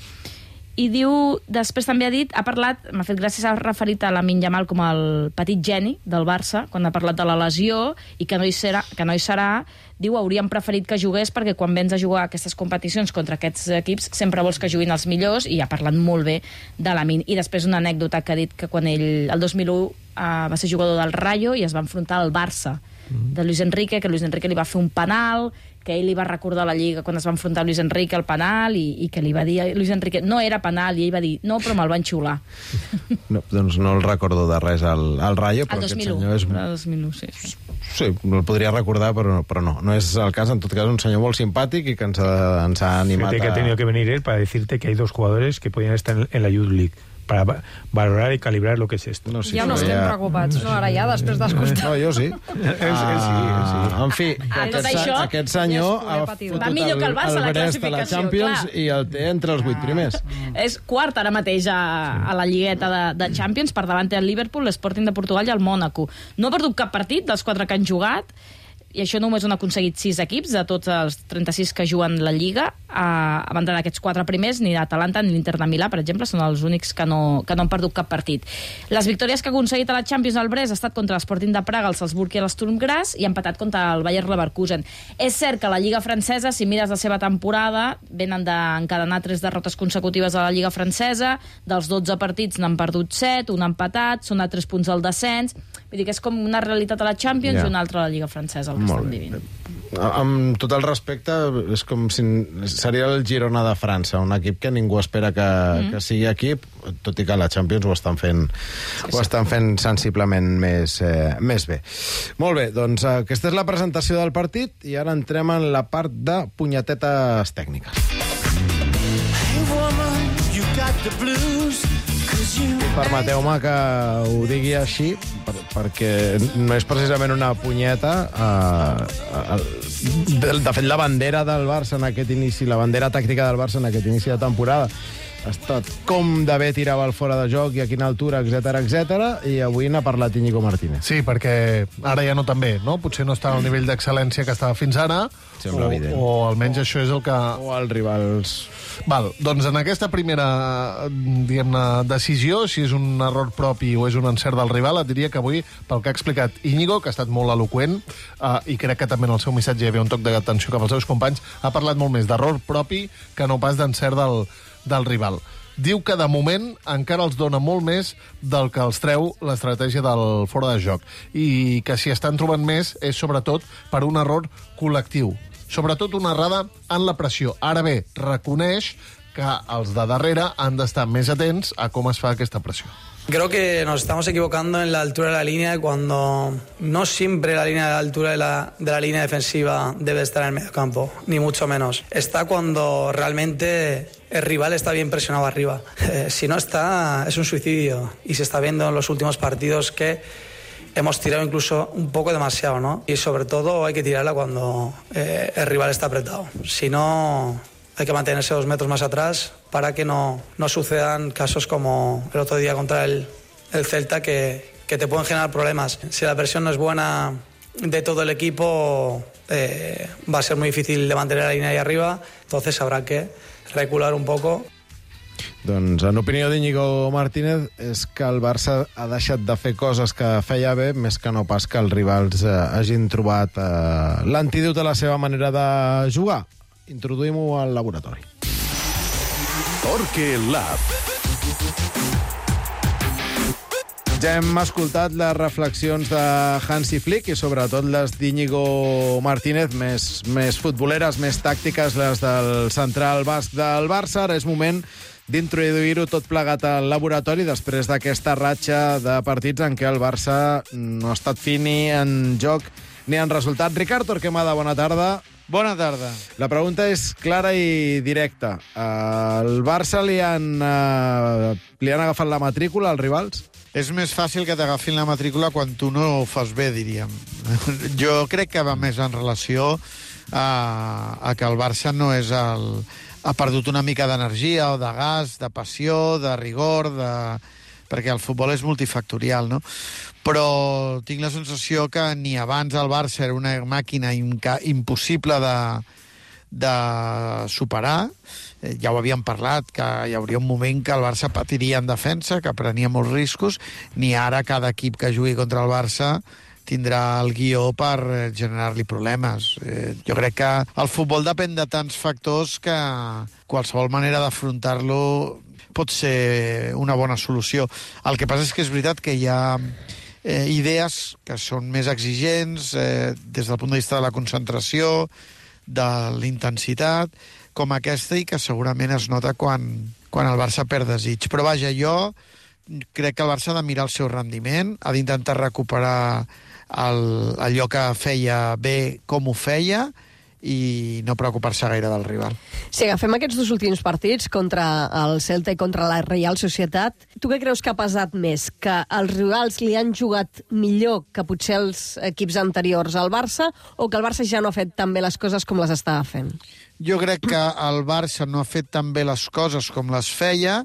i diu, després també ha dit, ha parlat, m'ha fet gràcies, ha referit a Lamine Yamal com el petit geni del Barça, quan ha parlat de la lesió, i que no hi serà, que no hi serà, diu, hauríem preferit que jugués perquè quan vens a jugar a aquestes competicions contra aquests equips sempre vols que juguin els millors, i ha parlat molt bé de Lamine. I després una anècdota que ha dit que quan ell, el dos mil u, uh, va ser jugador del Rayo i es va enfrontar al Barça de Luis Enrique, que Luis Enrique li va fer un penal, que ell li va recordar a la Lliga quan es va enfrontar a Luis Enrique al penal, i, i que li va dir a Luis Enrique, no era penal, i ell va dir, no, però me'l van xiular. No, doncs no el recordo de res al, al Rayo, però el aquest senyor és... El dos mil u, sí, sí. Sí, no el podria recordar, però, però no. No és el cas, en tot cas, un senyor molt simpàtic i que ens ha, ens ha animat Fíjate que ha tenido que venir él para decirte que hay dos jugadores que podían estar en, en la Youth League, para valorar y calibrar lo que es esto. No, sí, ja no estem ja... preocupats, no, ara ja, després d'escoltar. No, jo sí. Ell sí, sí. En fi, ah, aquest, això, aquest senyor ha fotut va millor que el Barça el la Brest a la Champions, clar. I el té entre els vuit primers. És quart ara mateix a, a la lligueta de, de Champions, per davant té el Liverpool, l'Sporting de Portugal i el Mònaco. No ha perdut cap partit dels quatre que han jugat, i això només han aconseguit sis equips de tots els trenta-sis que juguen la Lliga, a, a banda d'aquests quatre primers, ni l'Atalanta ni l'Inter de Milà, per exemple, són els únics que no, que no han perdut cap partit. Les victòries que ha aconseguit a la Champions al Brest ha estat contra l'Sporting de Praga, el Salzburg i l'Sturm Graz, i ha empatat contra el Bayer Leverkusen. És cert que la Lliga francesa, si mires la seva temporada, venen d'encadenar tres derrotes consecutives a la Lliga francesa, dels dotze partits n'han perdut set, un empatat, són a tres punts del descens, vull dir que és com una realitat a la Champions yeah. i una altra a la Lliga francesa, el que Molt estan vivint. Amb tot el respecte, és com si seria el Girona de França, un equip que ningú espera que, mm. que sigui equip, tot i que a la Champions ho estan fent, sí, ho estan fent sensiblement més, eh, més bé. Molt bé, doncs aquesta és la presentació del partit i ara entrem en la part de punyetetes tècniques. Permeteu-me que ho digui així, per, perquè no és precisament una punyeta. Uh, uh, de, de fet, la bandera del Barça en aquest inici, la bandera tàctica del Barça en aquest inici de temporada ha estat com d'haver tirava el fora de joc i a quina altura, etcètera, etcètera, i avui n'ha parlat Íñigo Martínez. Sí, perquè ara ja no tan bé, no? Potser no està al nivell d'excel·lència que estava fins ara, Sembla o, evident. o almenys això és el que... O els rivals... Val, doncs en aquesta primera, diguem-ne, decisió, si és un error propi o és un encert del rival, et diria que avui, pel que ha explicat Íñigo, que ha estat molt eloqüent, eh, i crec que també en el seu missatge hi havia un toc d'atenció cap als seus companys, ha parlat molt més d'error propi que no pas d'encert del, del rival. Diu que de moment encara els dona molt més del que els treu l'estratègia del fora de joc, i que si estan trobant més és sobretot per un error col·lectiu, sobretot una errada en la pressió. Ara bé, reconeix que els de darrere han d'estar més atents a com es fa aquesta pressió. Creo que nos estamos equivocando en la altura de la línea cuando no siempre la línea de la altura de la, de la línea defensiva debe estar en el medio campo, ni mucho menos. Está cuando realmente el rival está bien presionado arriba. Eh, si no está, es un suicidio. Y se está viendo en los últimos partidos que hemos tirado incluso un poco demasiado, ¿no? Y sobre todo hay que tirarla cuando eh, el rival está apretado. Si no, hay que mantenerse dos metros más atrás para que no, no sucedan casos como el otro día contra el, el Celta que, que te pueden generar problemas. Si la presión no es buena de todo el equipo, eh, va a ser muy difícil de mantener la línea ahí arriba, entonces habrá que recular un poco. Doncs, en opinió d'Íñigo Martínez, és que el Barça ha deixat de fer coses que feia bé, més que no pas que els rivals eh, hagin trobat eh, l'antídot a la seva manera de jugar. Introduïm-ho al laboratori. Torque Lab. Ja hem escoltat les reflexions de Hansi Flick i sobretot les d'Íñigo Martínez, més, més futboleres, més tàctiques, les del central basc del Barça. Ara és moment d'introduir-ho tot plegat al laboratori després d'aquesta ratxa de partits en què el Barça no ha estat fi ni en joc ni en resultat. Ricard Torquemada, bona tarda. Bona tarda. La pregunta és clara i directa. Al Barça li han, uh, li han agafat la matrícula als rivals? És més fàcil que t'agafin la matrícula quan tu no ho fas bé, diríem. Jo crec que va més en relació a, a que el Barça no és el... ha perdut una mica d'energia o de gas, de passió, de rigor, de... perquè el futbol és multifactorial, no? Però tinc la sensació que ni abans el Barça era una màquina imca... impossible de, de superar. Eh, ja ho havíem parlat, que hi hauria un moment que el Barça patiria en defensa, que prenia molts riscos, ni ara cada equip que jugui contra el Barça tindrà el guió per generar-li problemes. Eh, jo crec que el futbol depèn de tants factors que qualsevol manera d'afrontar-lo pot ser una bona solució. El que passa és que és veritat que hi ha eh, idees que són més exigents eh, des del punt de vista de la concentració, de l'intensitat, com aquesta, i que segurament es nota quan, quan el Barça perd desig. Però vaja, jo crec que el Barça ha de mirar el seu rendiment, ha d'intentar recuperar el, allò que feia bé com ho feia i no preocupar-se gaire del rival. Si agafem aquests dos últims partits contra el Celta i contra la Reial Societat, tu què creus que ha pesat més? Que els rivals li han jugat millor que potser els equips anteriors al Barça, o que el Barça ja no ha fet tan bé les coses com les estava fent? Jo crec que el Barça no ha fet tan bé les coses com les feia,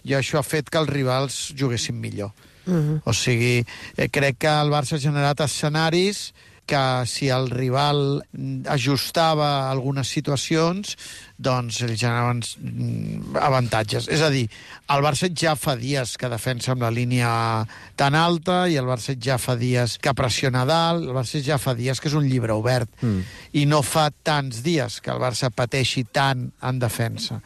i això ha fet que els rivals juguessin millor. Uh-huh. O sigui, eh, crec que el Barça ha generat escenaris que si el rival ajustava algunes situacions, doncs ells generaven avantatges. És a dir, el Barça ja fa dies que defensa amb la línia tan alta, i el Barça ja fa dies que pressiona dalt, el Barça ja fa dies que és un llibre obert, mm. i no fa tants dies que el Barça pateixi tant en defensa.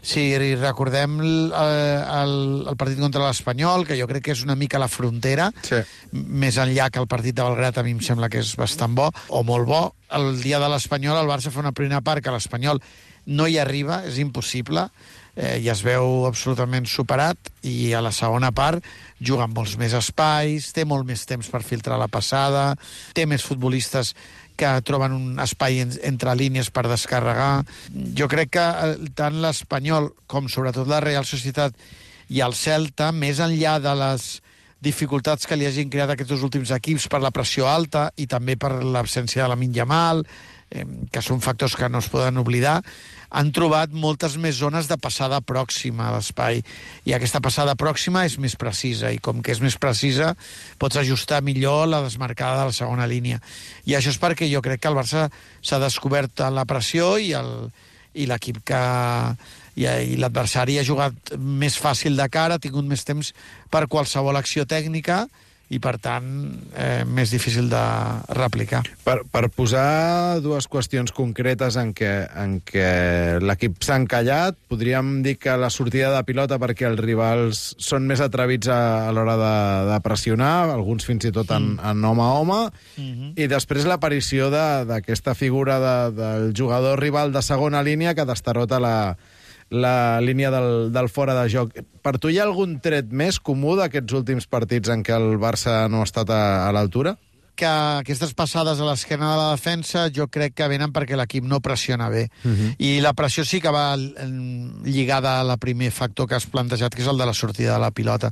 Si recordem el, el, el partit contra l'Espanyol, que jo crec que és una mica la frontera, sí. més enllà que el partit de Belgrat, a mi em sembla que és bastant bo, o molt bo. El dia de l'Espanyol el Barça fa una primera part que l'Espanyol no hi arriba, és impossible, eh, i es veu absolutament superat, i a la segona part juga amb molts més espais, té molt més temps per filtrar la passada, té més futbolistes que troben un espai en, entre línies per descarregar. Jo crec que tant l'Espanyol com sobretot la Real Societat i el Celta, més enllà de les dificultats que li hagin creat aquests dos últims equips per la pressió alta i també per l'absència de Lamine Yamal, eh, que són factors que no es poden oblidar, han trobat moltes més zones de passada pròxima a l'espai. I aquesta passada pròxima és més precisa, i com que és més precisa, pots ajustar millor la desmarcada de la segona línia. I això és perquè jo crec que el Barça s'ha descobert en la pressió i el, i l'equip que... i, i l'adversari ha jugat més fàcil de cara, ha tingut més temps per qualsevol acció tècnica, i, per tant, eh, més difícil de replicar. Per, per posar dues qüestions concretes en què, en què l'equip s'ha encallat, podríem dir que la sortida de pilota perquè els rivals són més atrevits a, a l'hora de, de pressionar, alguns fins i tot en, en home a home, mm-hmm. i després l'aparició d'aquesta figura de, del jugador rival de segona línia que destarota la la línia del, del fora de joc. Per tu hi ha algun tret més comú d'aquests últims partits en què el Barça no ha estat a, a l'altura? Que aquestes passades a l'esquena de la defensa jo crec que venen perquè l'equip no pressiona bé. Uh-huh. I la pressió sí que va lligada al primer factor que has plantejat, que és el de la sortida de la pilota.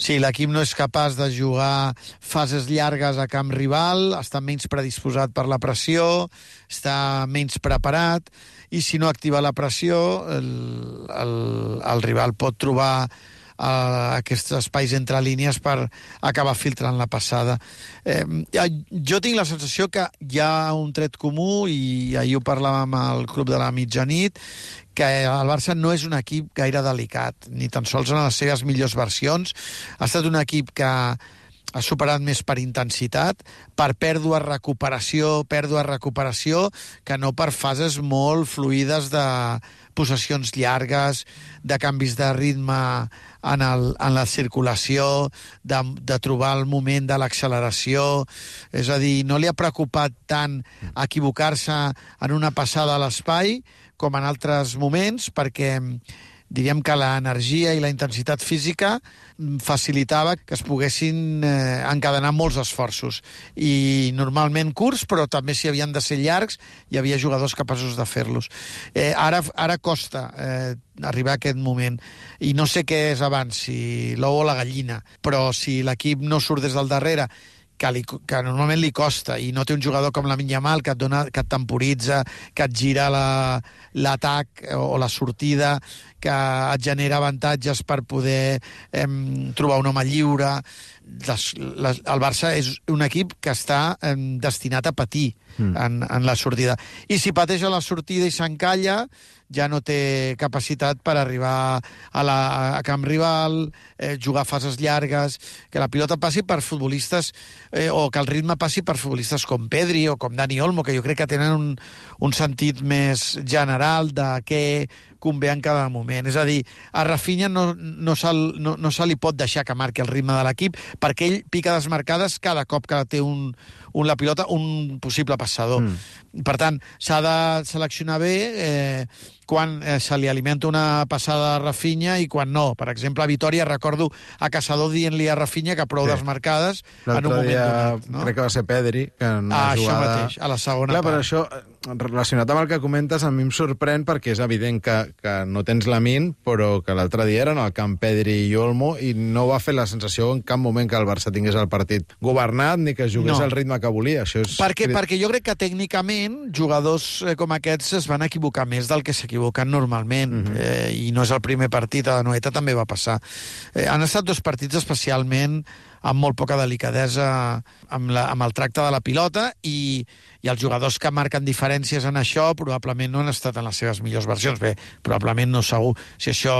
Si l'equip no és capaç de jugar fases llargues a camp rival, està menys predisposat per la pressió, està menys preparat, i si no activa la pressió, el, el, el rival pot trobar a aquests espais entre línies per acabar filtrant la passada. Eh, jo tinc la sensació que hi ha un tret comú, i ahir ho parlàvem al Club de la Mitjanit, que el Barça no és un equip gaire delicat, ni tan sols en les seves millors versions. Ha estat un equip que ha superat més per intensitat, per pèrdua, recuperació, pèrdua, recuperació, que no per fases molt fluides de possessions llargues, de canvis de ritme en, el, en la circulació, de, de trobar el moment de l'acceleració. És a dir, no li ha preocupat tant equivocar-se en una passada a l'espai com en altres moments, perquè diríem que l'energia i la intensitat física facilitava que es poguessin eh, encadenar molts esforços. I normalment curts, però també si havien de ser llargs, hi havia jugadors capaços de fer-los. Eh, ara, ara costa eh, arribar a aquest moment. I no sé què és abans, si l'ou o la gallina, però si l'equip no surt des del darrere, que, li, que normalment li costa, i no té un jugador com Lamine Yamal que et, dona, que et temporitza, que et gira l'atac la, o la sortida, que et genera avantatges per poder eh, trobar un home lliure. Les, les, el Barça és un equip que està eh, destinat a patir mm. en, en la sortida. I si pateix a la sortida i s'encalla, ja no té capacitat per arribar a, la, a camp rival, eh, jugar fases llargues, que la pilota passi per futbolistes, eh, o que el ritme passi per futbolistes com Pedri o com Dani Olmo, que jo crec que tenen un, un sentit més general de què convé en cada moment. És a dir, a Rafinha no, no, se, no, no se li pot deixar que marqui el ritme de l'equip, perquè ell pica desmarcades cada cop que té un, un, la pilota un possible passador. Mm. Per tant, s'ha de seleccionar bé eh, quan eh, se li alimenta una passada a Rafinha i quan no. Per exemple, a Vitòria recordo a Caçador dient-li a Rafinha que prou sí. desmarcades en un moment dia, donat. No? Crec que va ser Pedri, que en ah, una jugada... jugada... Això mateix, a la segona Clar, part. però això, relacionat amb el que comentes, a mi em sorprèn perquè és evident que, que no tens Lamine, però que l'altre dia eren al camp Pedri i Olmo i no va fer la sensació en cap moment que el Barça tingués el partit governat ni que jugués no. al ritme que volia. Això és... perquè, perquè jo crec que tècnicament jugadors com aquests es van equivocar més del que s'equivoquen normalment, mm-hmm. eh, i no és el primer partit, a la Noeta també va passar. Eh, han estat dos partits especialment amb molt poca delicadesa amb, la, amb el tracte de la pilota, i, i els jugadors que marquen diferències en això probablement no han estat en les seves millors versions. Bé, probablement no segur. Si això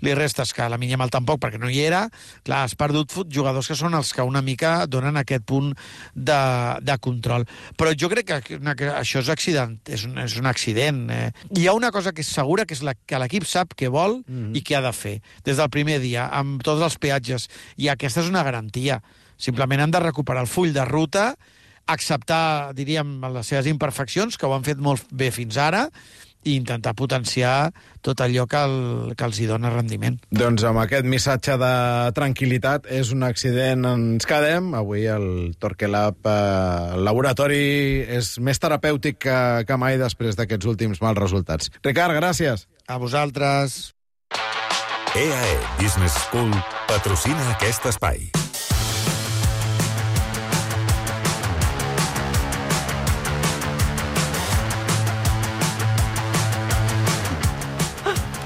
li restes que Lamine Yamal tampoc, perquè no hi era, clar, has perdut jugadors que són els que una mica donen aquest punt de, de control. Però jo crec que, que això és, accident, és, un, és un accident. Eh. Hi ha una cosa que és segura, que és la, que l'equip sap què vol mm-hmm. i què ha de fer. Des del primer dia, amb tots els peatges. I aquesta és una garantia. Simplement han de recuperar el full de ruta, acceptar, diríem, les seves imperfeccions, que ho han fet molt bé fins ara, i intentar potenciar tot allò que, el, que els hi dona rendiment. Doncs amb aquest missatge de tranquil·litat, és un accident, ens quedem. Avui el Torquelab, eh, el laboratori, és més terapèutic que, que mai després d'aquests últims mals resultats. Ricard, gràcies. A vosaltres. E A E Business School patrocina aquest espai.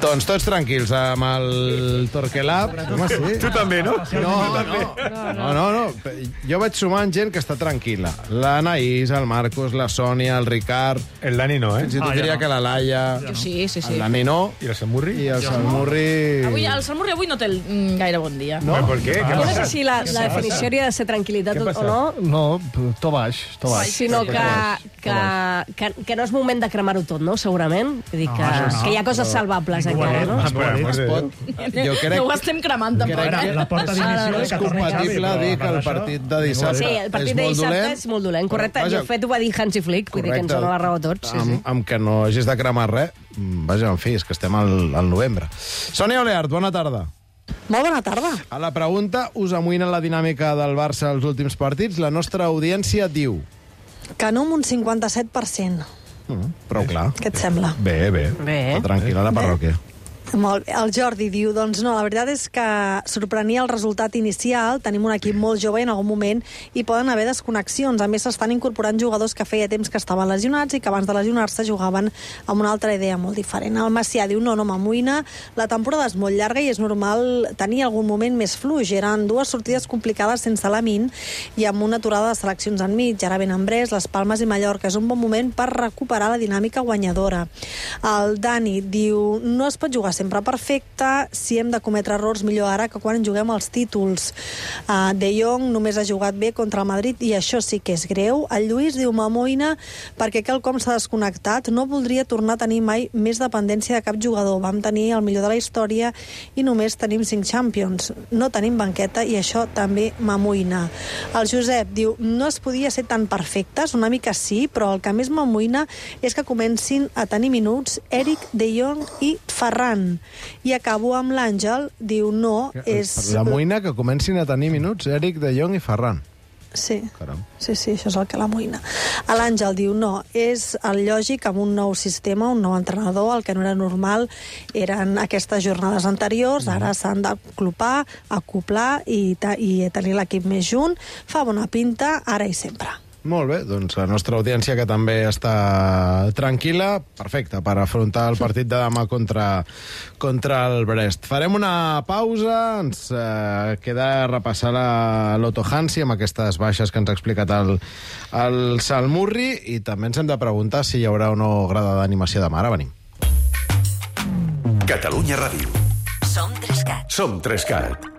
Doncs tots tranquils amb el Torquelab. Home, sí. Tu també, no? No, no, no, no, no. Jo vaig sumant gent que està tranquil·la. L'Anaïs, el Marcos, la Sònia, el Ricard... El Dani no, eh? Fins i tot Ah, diria ja no. que la Laia... Jo sí, sí, sí. El Dani no. I el Samurri? I el Salmurri... Avui, el Salmurri avui no té el, mm, gaire bon dia. No? ¿Por qué? ¿Qué Jo no pasa? sé si la, la definició hauria de ser tranquil·litat Què o passa? no, No, to baix, to baix. sinó que, que, que, que no és moment de cremar-ho tot, no? Segurament. Vull dir que, això no, que hi ha coses però- salvables Ningú ho ha encara, dit. no? Ningú ho ha dit. Es pot... Jo crec No ho estem cremant, tampoc. crec eh? que La porta d'inició és compatible dir que el partit de dissabte Sí, el partit de és molt dissabte dolent. és molt dolent, correcte. Però, vaja, De fet, ho va dir Hansi Flick, vull dir que ens correcte. dona la raó a tots. Sí, sí. Amb, amb que no hagis de cremar res, mm, vaja, en fi, és que estem al, al novembre. Sònia Oleart, bona tarda. Molt bona tarda. A la pregunta, us amoïna la dinàmica del Barça als últims partits? La nostra audiència diu... Que no amb un cinquanta-set per cent. Mm, prou clar. Què et sembla? Bé, bé. Bé. Està tranquil·la la parròquia. Molt bé. El Jordi diu, doncs no, la veritat és que sorprenia el resultat inicial, tenim un equip molt jove i en algun moment hi poden haver desconnexions. A més, s'estan incorporant jugadors que feia temps que estaven lesionats i que abans de lesionar-se jugaven amb una altra idea molt diferent. El Macià diu, no, no m'amoïna, la temporada és molt llarga i és normal tenir algun moment més fluix. Eren dues sortides complicades sense Lamin i amb una aturada de seleccions enmig. Ara venen Brest, les Palmes i Mallorca. És un bon moment per recuperar la dinàmica guanyadora. El Dani diu, no es pot jugar sempre perfecte, si hem de cometre errors millor ara que quan juguem els títols. Uh, De Jong només ha jugat bé contra el Madrid i això sí que és greu. El Lluís diu, m'amoïna perquè quelcom s'ha desconnectat, no voldria tornar a tenir mai més dependència de cap jugador. Vam tenir el millor de la història i només tenim cinc Champions. No tenim banqueta i això també m'amoïna. El Josep diu, no es podia ser tan perfectes, una mica sí, però el que més m'amoïna és que comencin a tenir minuts Eric, De Jong i Ferran. I acabo amb l'Àngel, diu no, és... La moïna que comencin a tenir minuts Eric, De Jong i Ferran. Sí, Caram. sí, sí, això és el que l'amoïna. L'Àngel diu no, és el lògic amb un nou sistema, un nou entrenador, el que no era normal eren aquestes jornades anteriors, ara s'han d'aclopar, acoplar i, i tenir l'equip més junt. Fa bona pinta, ara i sempre. Molt bé, doncs la nostra audiència que també està tranquil·la, perfecte, per afrontar el partit de demà contra, contra el Brest. Farem una pausa, ens eh, queda repassar la l'Otto Hansi amb aquestes baixes que ens ha explicat el, el Salmurri i també ens hem de preguntar si hi haurà o no grada d'animació demà. Ara venim. Catalunya Ràdio. Som Trescat. Som Trescat.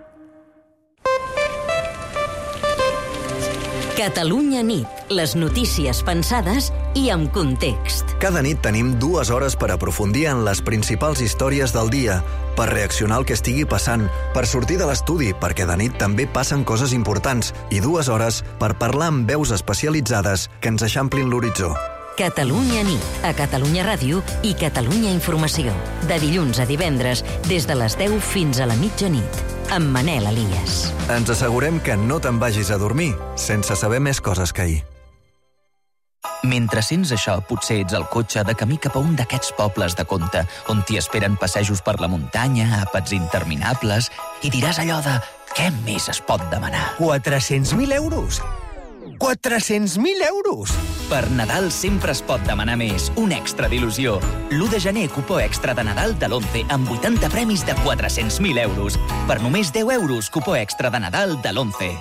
Catalunya nit. Les notícies pensades i amb context. Cada nit tenim dues hores per aprofundir en les principals històries del dia, per reaccionar al que estigui passant, per sortir de l'estudi, perquè de nit també passen coses importants, i dues hores per parlar amb veus especialitzades que ens eixamplin l'horitzó. Catalunya nit, a Catalunya Ràdio i Catalunya Informació. De dilluns a divendres, des de les deu fins a la mitjanit, amb Manel Elias. Ens assegurem que no te'n vagis a dormir sense saber més coses que ahir. Mentre sents això, potser ets al cotxe de camí cap a un d'aquests pobles de conte, on t'hi esperen passejos per la muntanya, àpats interminables, i diràs allò de què més es pot demanar? quatre-cents mil euros! quatre-cents mil euros! Per Nadal sempre es pot demanar més. Un extra d'il·lusió. l'u de gener, cupó extra de Nadal de l'Once amb vuitanta premis de quatre-cents mil euros. Per només deu euros, cupó extra de Nadal de l'Once.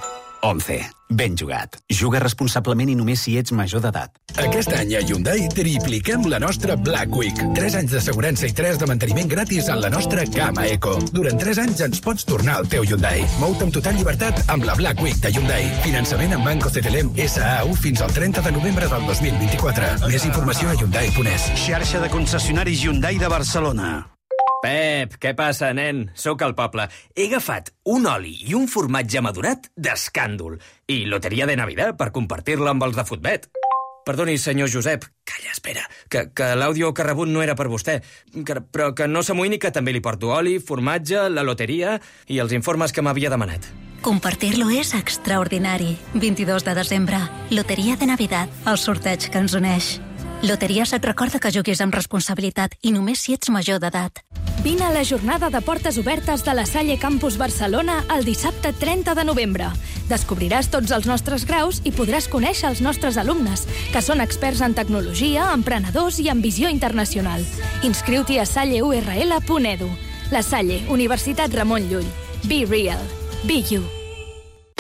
Once. Ben jugat. Juga responsablement i només si ets major d'edat. Aquest any a Hyundai tripliquem la nostra Black Week. tres anys d'assegurança i tres de manteniment gratis en la nostra gamma Eco. Durant tres anys ens pots tornar al teu Hyundai. Mou-te amb total llibertat amb la Black Week de Hyundai. Finançament amb Banco C T L M S A U fins al trenta de novembre del dos mil vint-i-quatre. Més informació a hyundai punt es. Xarxa de concessionaris Hyundai de Barcelona. Pep, què passa, nen? Sóc al poble. He agafat un oli i un formatge madurat d'escàndol. I loteria de Navidad per compartir-la amb els de Futbet. Perdoni, senyor Josep, calla, espera, que, que l'àudio que ha rebut no era per vostè, que, però que no s'amoïni que també li porto oli, formatge, la loteria i els informes que m'havia demanat. Compartir-lo és extraordinari. vint-i-dos de desembre, Loteria de Navidad, el sorteig que ens uneix. Loteries et recorda que juguis amb responsabilitat i només si ets major d'edat. Vine a la jornada de portes obertes de la Salle Campus Barcelona el dissabte trenta de novembre. Descobriràs tots els nostres graus i podràs conèixer els nostres alumnes, que són experts en tecnologia, emprenedors i en visió internacional. Inscriu-t'hi a salle u erre ele punt edu. La Salle, Universitat Ramon Llull. Be real. Be you.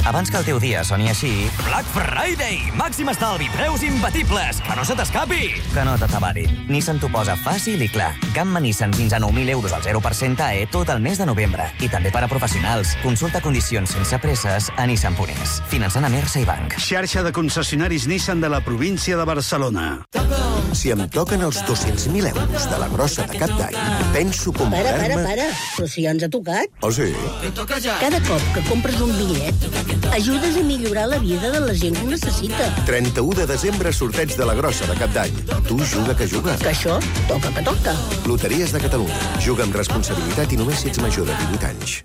Abans que el teu dia soni així... Black Friday! Màxim estalvi, preus imbatibles! Que no se t'escapi! Que no t'atabari. Nissan t'ho posa fàcil i clar. Gamma Nissan fins a nou mil euros al zero per cent A E tot el mes de novembre. I també per a professionals. Consulta condicions sense presses a nissan punt es. Finançant a Mersa i Banc. Xarxa de concessionaris Nissan de la província de Barcelona. Si em toquen els dos-cents mil euros de la grossa de cap d'any, penso Para, comprar-me... para, para. Però si ja ens ha tocat. Oh, sí? Cada cop que compres un bitllet, ajudes a millorar la vida de la gent que ho necessita. trenta-u de desembre, sorteig de la grossa de cap d'any. Tu juga que juga. Que això toca que toca. Loteries de Catalunya. Juga amb responsabilitat i només si ets major de divuit anys.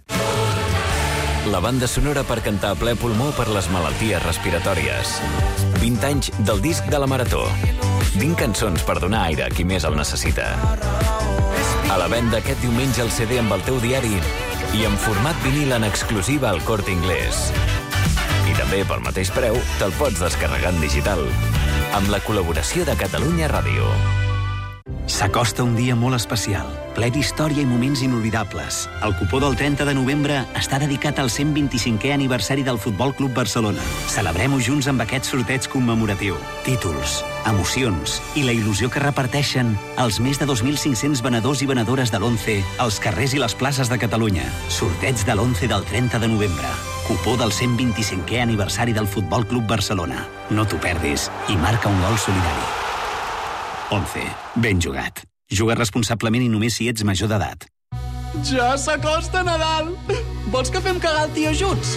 La banda sonora per cantar a ple pulmó per les malalties respiratòries. vint anys del disc de la Marató. vint cançons per donar aire a qui més el necessita. A la venda aquest diumenge el C D amb el teu diari i en format vinil en exclusiva al Corte Inglés. I també pel mateix preu te'l pots descarregar en digital. Amb la col·laboració de Catalunya Ràdio. S'acosta un dia molt especial, ple d'història i moments inolvidables. El cupó del trenta de novembre està dedicat al cent vint-i-cinquè aniversari del Futbol Club Barcelona. Celebrem-ho junts amb aquest sorteig commemoratiu. Títols, emocions i la il·lusió que reparteixen els més de dos mil cinc-cents venedors i venedores de l'Once als carrers i les places de Catalunya. Sorteig de l'Once del trenta de novembre. Cupó del cent vint-i-cinquè aniversari del Futbol Club Barcelona. No t'ho perdis i marca un gol solidari. Once. Ben jugat. Juga responsablement i només si ets major d'edat. Ja s'acosta Nadal! Vols que fem cagar el tio junts?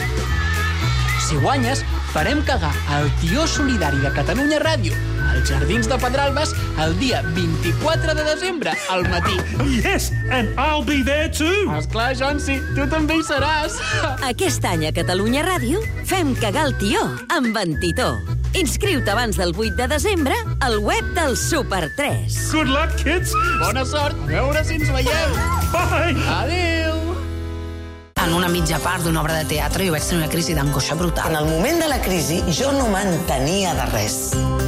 Si guanyes, farem cagar el tio solidari de Catalunya Ràdio als Jardins de Pedralbes el dia vint-i-quatre de desembre, al matí. Yes, and I'll be there too! Esclar, Jonsi, tu també hi seràs. Aquest any a Catalunya Ràdio fem cagar el tió amb en Titó. Inscriu-te abans del vuit de desembre al web del Super tres. Good luck, kids! Bona sort! A veure si ens veiem! Bye! Adéu! En una mitja part d'una obra de teatre jo vaig tenir una crisi d'angoixa brutal. En el moment de la crisi jo no m'entenia de res.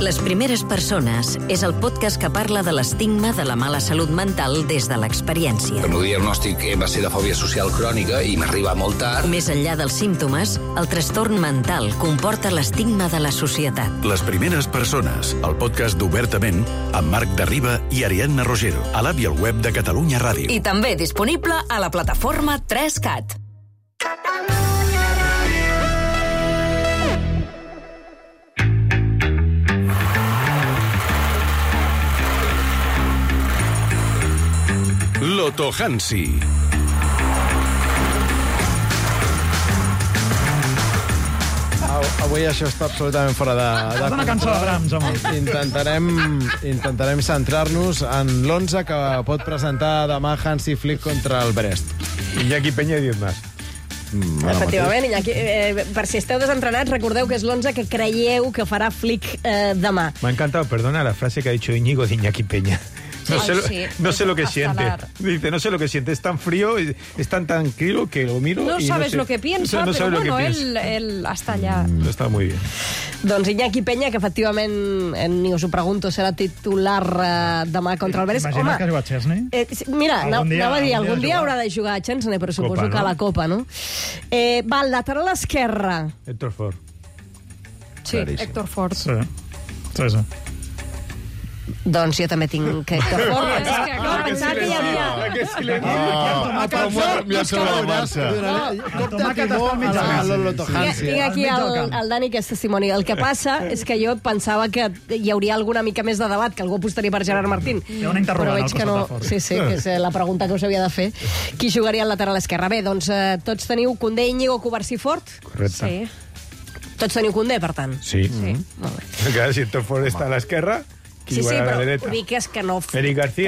Les primeres persones és el podcast que parla de l'estigma de la mala salut mental des de l'experiència. El meu diagnòstic va ser de fòbia social crònica i m'arriba molt tard. Més enllà dels símptomes, el trastorn mental comporta l'estigma de la societat. Les primeres persones, el podcast d'Obertament, amb Marc Derriba i Ariadna Rogero, a l'app i al web de Catalunya Ràdio. I també disponible a la plataforma tres cat. Loto Hansi. Avui això està absolutament fora de... de una cançó de Brahms, home. Intentarem, intentarem centrar-nos en l'onze que pot presentar demà Hansi Flick contra el Brest. Iñaki Peña i diez más. Mm, Efectivament, Iñaki, eh, per si esteu desentrenats, recordeu que és l'onze que creieu que farà Flick eh, demà. Me ha encantado, perdona, la frase que ha dicho Íñigo de Iñaki Peña. No, Ay, sé, lo, sí, no sé lo que hasta siente. hablar. Dice, no sé lo que siente. Es tan frío, es tan tranquilo que lo miro No y sabes no sé, lo que piensa, no, no pero sabes bueno, lo que piensa. él, él està allà. Mm, Està muy bien. Doncs Iñaki Peña, que efectivament, eh, ni us ho pregunto, serà titular eh, demà contra el Brest. Imagina que juga a Chesney. Eh, mira, Algun dia- anava a dir, algun dia algun dia jugar. haurà de jugar a Chesney, però suposo Copa, que a no? la Copa, no? Eh, va, el lateral esquerre. Héctor Ford. Sí, Claríssim. Héctor Ford. Sí, sí, sí. Doncs jo també tinc que Héctor Ford. És que, clar, pensava que hi havia... Que silenci. Ah, però m'ho ha enviat sobre la marxa. Cop de timó a la Loto Tinc, Hansi. tinc aquí el, el Dani, que és testimoni. El que passa és que jo pensava que hi hauria alguna mica més de debat, que algú apostaria per Gerard Martín. Hi ha una interrogant Però veig al que no... costat de Ford. Sí, sí, que és eh, la pregunta que us havia de fer. Qui jugaria al lateral esquerre? Bé, doncs eh, tots teniu Koundé, Íñigo, Cubarsí, Fort? Correcte. Sí. Tots teniu Koundé, per tant? Sí. Sí. Molt bé. Claro, si Héctor Ford está a la esquerra, Sí, sí, però ho dic és que no, que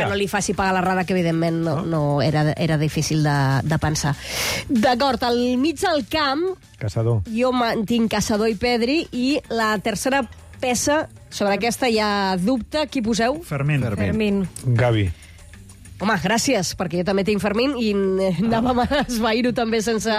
no li faci pagar l'errada, que evidentment no, no era, era difícil de, de pensar. D'acord, al mig del camp Caçador. Jo mantinc Caçador i Pedri, i la tercera peça, sobre aquesta hi ha dubte. Qui poseu? Fermín. Fermín. Gavi. Home, gràcies, perquè jo també tinc Fermín i anàvem a esvair-ho també sense,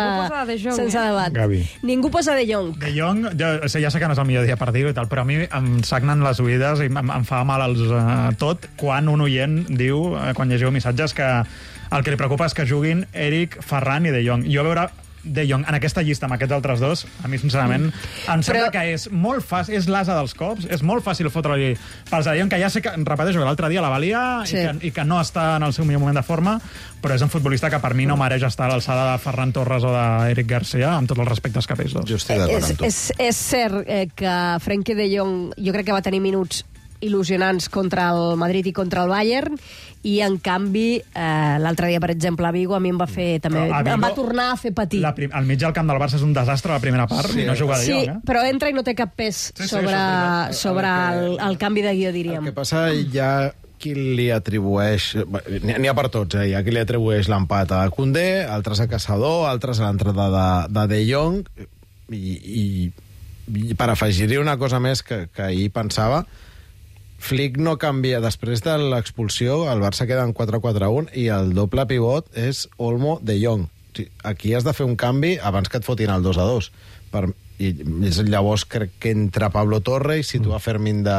sense debat. Gavi. Ningú posa De Jong. De Jong, jo, o sigui, ja sé que no és el millor dia per dir-ho i tal, però a mi em sagnen les oïdes i em, em fa mal els, uh, tot quan un oient diu, uh, quan llegiu missatges, que el que li preocupa és que juguin Eric, Ferran i De Jong. Jo a veure De Jong en aquesta llista amb aquests altres dos, a mi sincerament em sembla que és molt fàcil, és l'asa dels cops, és molt fàcil fotre-li pels De Jong, que ja sé que, repeteixo, que l'altre dia la valia sí. i, que, i que no està en el seu millor moment de forma, però és un futbolista que per mi no mereix estar a l'alçada de Ferran Torres o d'Eric Garcia, amb tots els respectes cap a ells dos. Jo estic d'acord amb tu. És, és cert eh, que Frenkie De Jong jo crec que va tenir minuts il·lusionants contra el Madrid i contra el Bayern, i en canvi eh, l'altre dia, per exemple, a Vigo a mi em va fer també, Vigo, em va tornar a fer patir. La prim, el mig del camp del Barça és un desastre a la primera part, sí, i no juga De Jong, eh? Sí, però entra i no té cap pes sí, sobre, sí, sobre el, el, el canvi de guió, diríem. El que passa ja qui li atribueix... N'hi ha per tots, eh? Hi ha qui li atribueix l'empat a Koundé, altres a Caçador, altres a l'entrada de, de De Jong, i, i, i per afegir-hi una cosa més que, que ahir pensava, Flick no canvia. Després de l'expulsió, el Barça queda en quatre quatre un i el doble pivot és Olmo De Jong. Aquí has de fer un canvi abans que et fotin el dos a dos. Per, i llavors crec que entra Pablo Torre i situa Fermín de,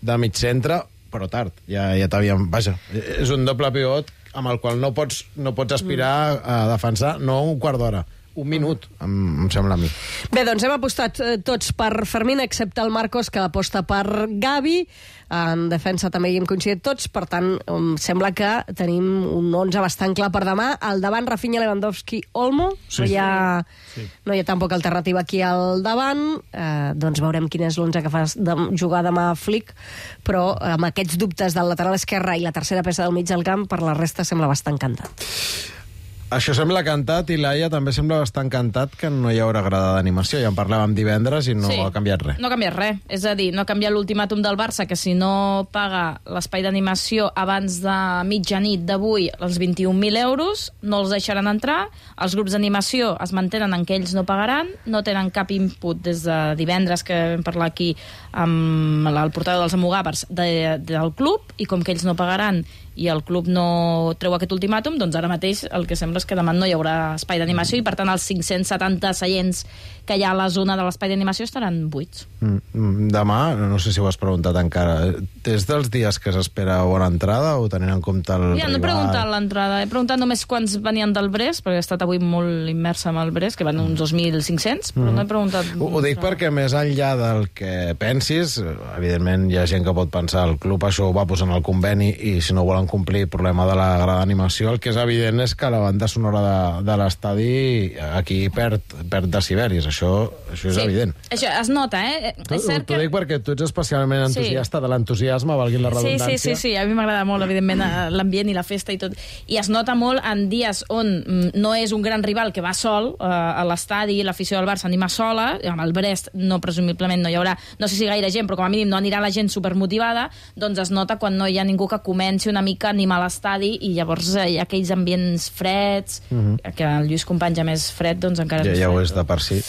de mig centre, però tard. Ja, ja t'havíem... Vaja, és un doble pivot amb el qual no pots, no pots aspirar a defensar no un quart d'hora, un minut, em, em sembla a mi. Bé, doncs hem apostat eh, tots per Fermín, excepte el Marcos, que aposta per Gavi. En defensa també hi hem coincidit tots, per tant, em sembla que tenim un onze bastant clar per demà. Al davant, Rafinha, Lewandowski, Olmo. Sí, no, hi ha, sí. no hi ha tampoc alternativa aquí al davant. Eh, doncs veurem quin és l'onze que fa de jugar demà Flick, però amb aquests dubtes del lateral esquerre i la tercera peça del mig del camp, per la resta sembla bastant cantat. Això sembla cantat, i Laia també sembla bastant cantat que no hi haurà grada d'animació. Ja en parlàvem divendres i no sí, ha canviat res. No ha canviat res. És a dir, no ha canviat l'ultimàtum del Barça, que si no paga l'espai d'animació abans de mitjanit d'avui els vint-i-un mil euros, no els deixaran entrar. Els grups d'animació es mantenen en què ells no pagaran, no tenen cap input des de divendres, que vam parlar aquí amb el portador dels Almogàvers de, del club, i com que ells no pagaran i el club no treu aquest ultimàtum, doncs ara mateix el que sembla és que demà no hi haurà espai d'animació i per tant els cinc-cents setanta seients que hi ha a la zona de l'espai d'animació estaran buits. Mm, demà, no sé si ho has preguntat encara, és dels dies que s'espera bona entrada o tenint en compte el ja, rival? No he preguntat l'entrada, he preguntat només quants venien del Brest, perquè he estat avui molt immersa amb el Brest, que van uns dos mil cinc-cents, però mm. no he preguntat... Ho, ho dic perquè més enllà del que pensis, evidentment hi ha gent que pot pensar el club això ho va posar en el conveni i si no volen complir el problema de la grada d'animació, el que és evident és que la banda sonora de, de l'estadi aquí perd, perd deciberis, això, això és sí, evident. Això es nota, eh? T'ho que... dic perquè tu ets especialment entusiasta sí. de l'entusiasme, valgui la redundància. Sí, sí, sí, sí. A mi m'agrada molt, evidentment, l'ambient i la festa i tot. I es nota molt en dies on no és un gran rival que va sol eh, a l'estadi, l'afició del Barça anima sola, amb el Brest no, presumiblement no hi haurà, no sé si gaire gent, però com a mínim no anirà la gent supermotivada, doncs es nota quan no hi ha ningú que comenci una mica a animar l'estadi i llavors hi ha aquells ambients freds, uh-huh. que el Lluís Companys ja més fred, doncs encara ja, més ja fred. ho és de per si.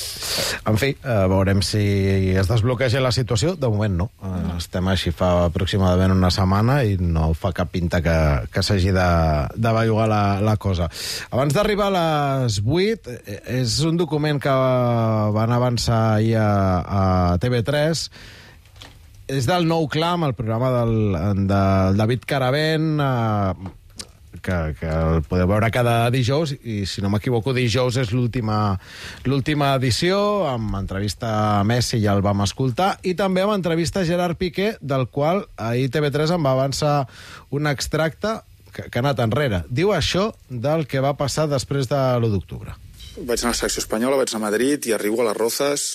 En fi, eh, veurem si es desbloqueja la situació. De moment no. Eh, no. Estem així fa aproximadament una setmana i no fa cap pinta que, que s'hagi de, de bellugar la, la cosa. Abans d'arribar a les vuit, és un document que van avançar ahir a, a T V tres. És del Nou Clam, el programa del, del David Caravent, eh, que, que el podeu veure cada dijous, i si no m'equivoco dijous és l'última l'última edició, amb entrevista a Messi, ja el vam escoltar, i també amb entrevista a Gerard Piqué, del qual ahir T V tres em va avançar un extracte que, que ha anat enrere. Diu això del que va passar després de l'u d'octubre. Vaig anar a la secció espanyola, vaig anar a Madrid i arribo a les Rozas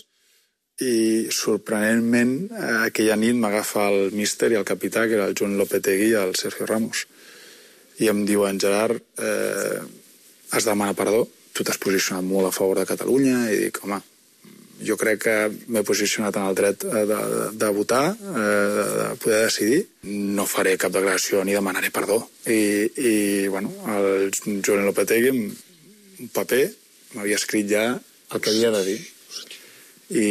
i sorprenentment aquella nit m'agafa el míster i el capità, que era el Joan Lopetegui i el Sergio Ramos, i em diuen: Gerard, eh, has de demanar perdó, tu t'has posicionat molt a favor de Catalunya, i dic, home, jo crec que m'he posicionat en el dret de, de, de votar, eh, de, de poder decidir. No faré cap declaració ni demanaré perdó. I, i bueno, el Julen Lopetegui, un paper, m'havia escrit ja el que havia de dir. I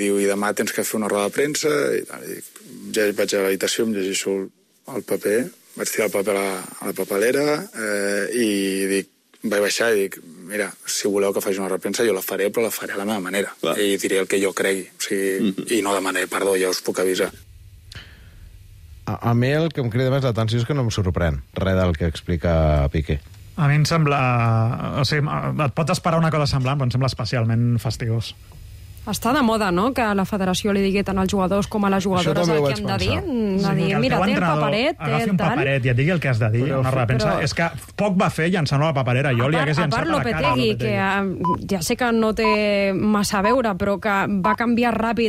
diu, i demà tens que fer una roda de premsa. I, i dic, ja vaig a l'habitació, em llegeixo el paper, vaig tirar el paper a la, a la papelera eh, i dic, vaig baixar i dic, mira, si voleu que faci una repremsa jo la faré, però la faré a la meva manera. Clar. I diré el que jo cregui. O sigui, mm-hmm. I no demanaré perdó, ja us puc avisar. A, a mi el que em crida més l'atenció és que no em sorprèn res del que explica Piqué. A mi em sembla... O sigui, et pots esperar una cosa semblant, però em sembla especialment fastigós. Està de moda, no?, que la federació li digui tant als jugadors com a les jugadores el que han de dir. De dir, mira, té el paperet, té el agafi un paperet i et digui el que has de dir. Però, una repensa. Però... És que poc va fer llançant la paperera. Jo a li hagués llançat a la cara. Lopetegui, que ja sé que no té massa a veure, però que va canviar ràpid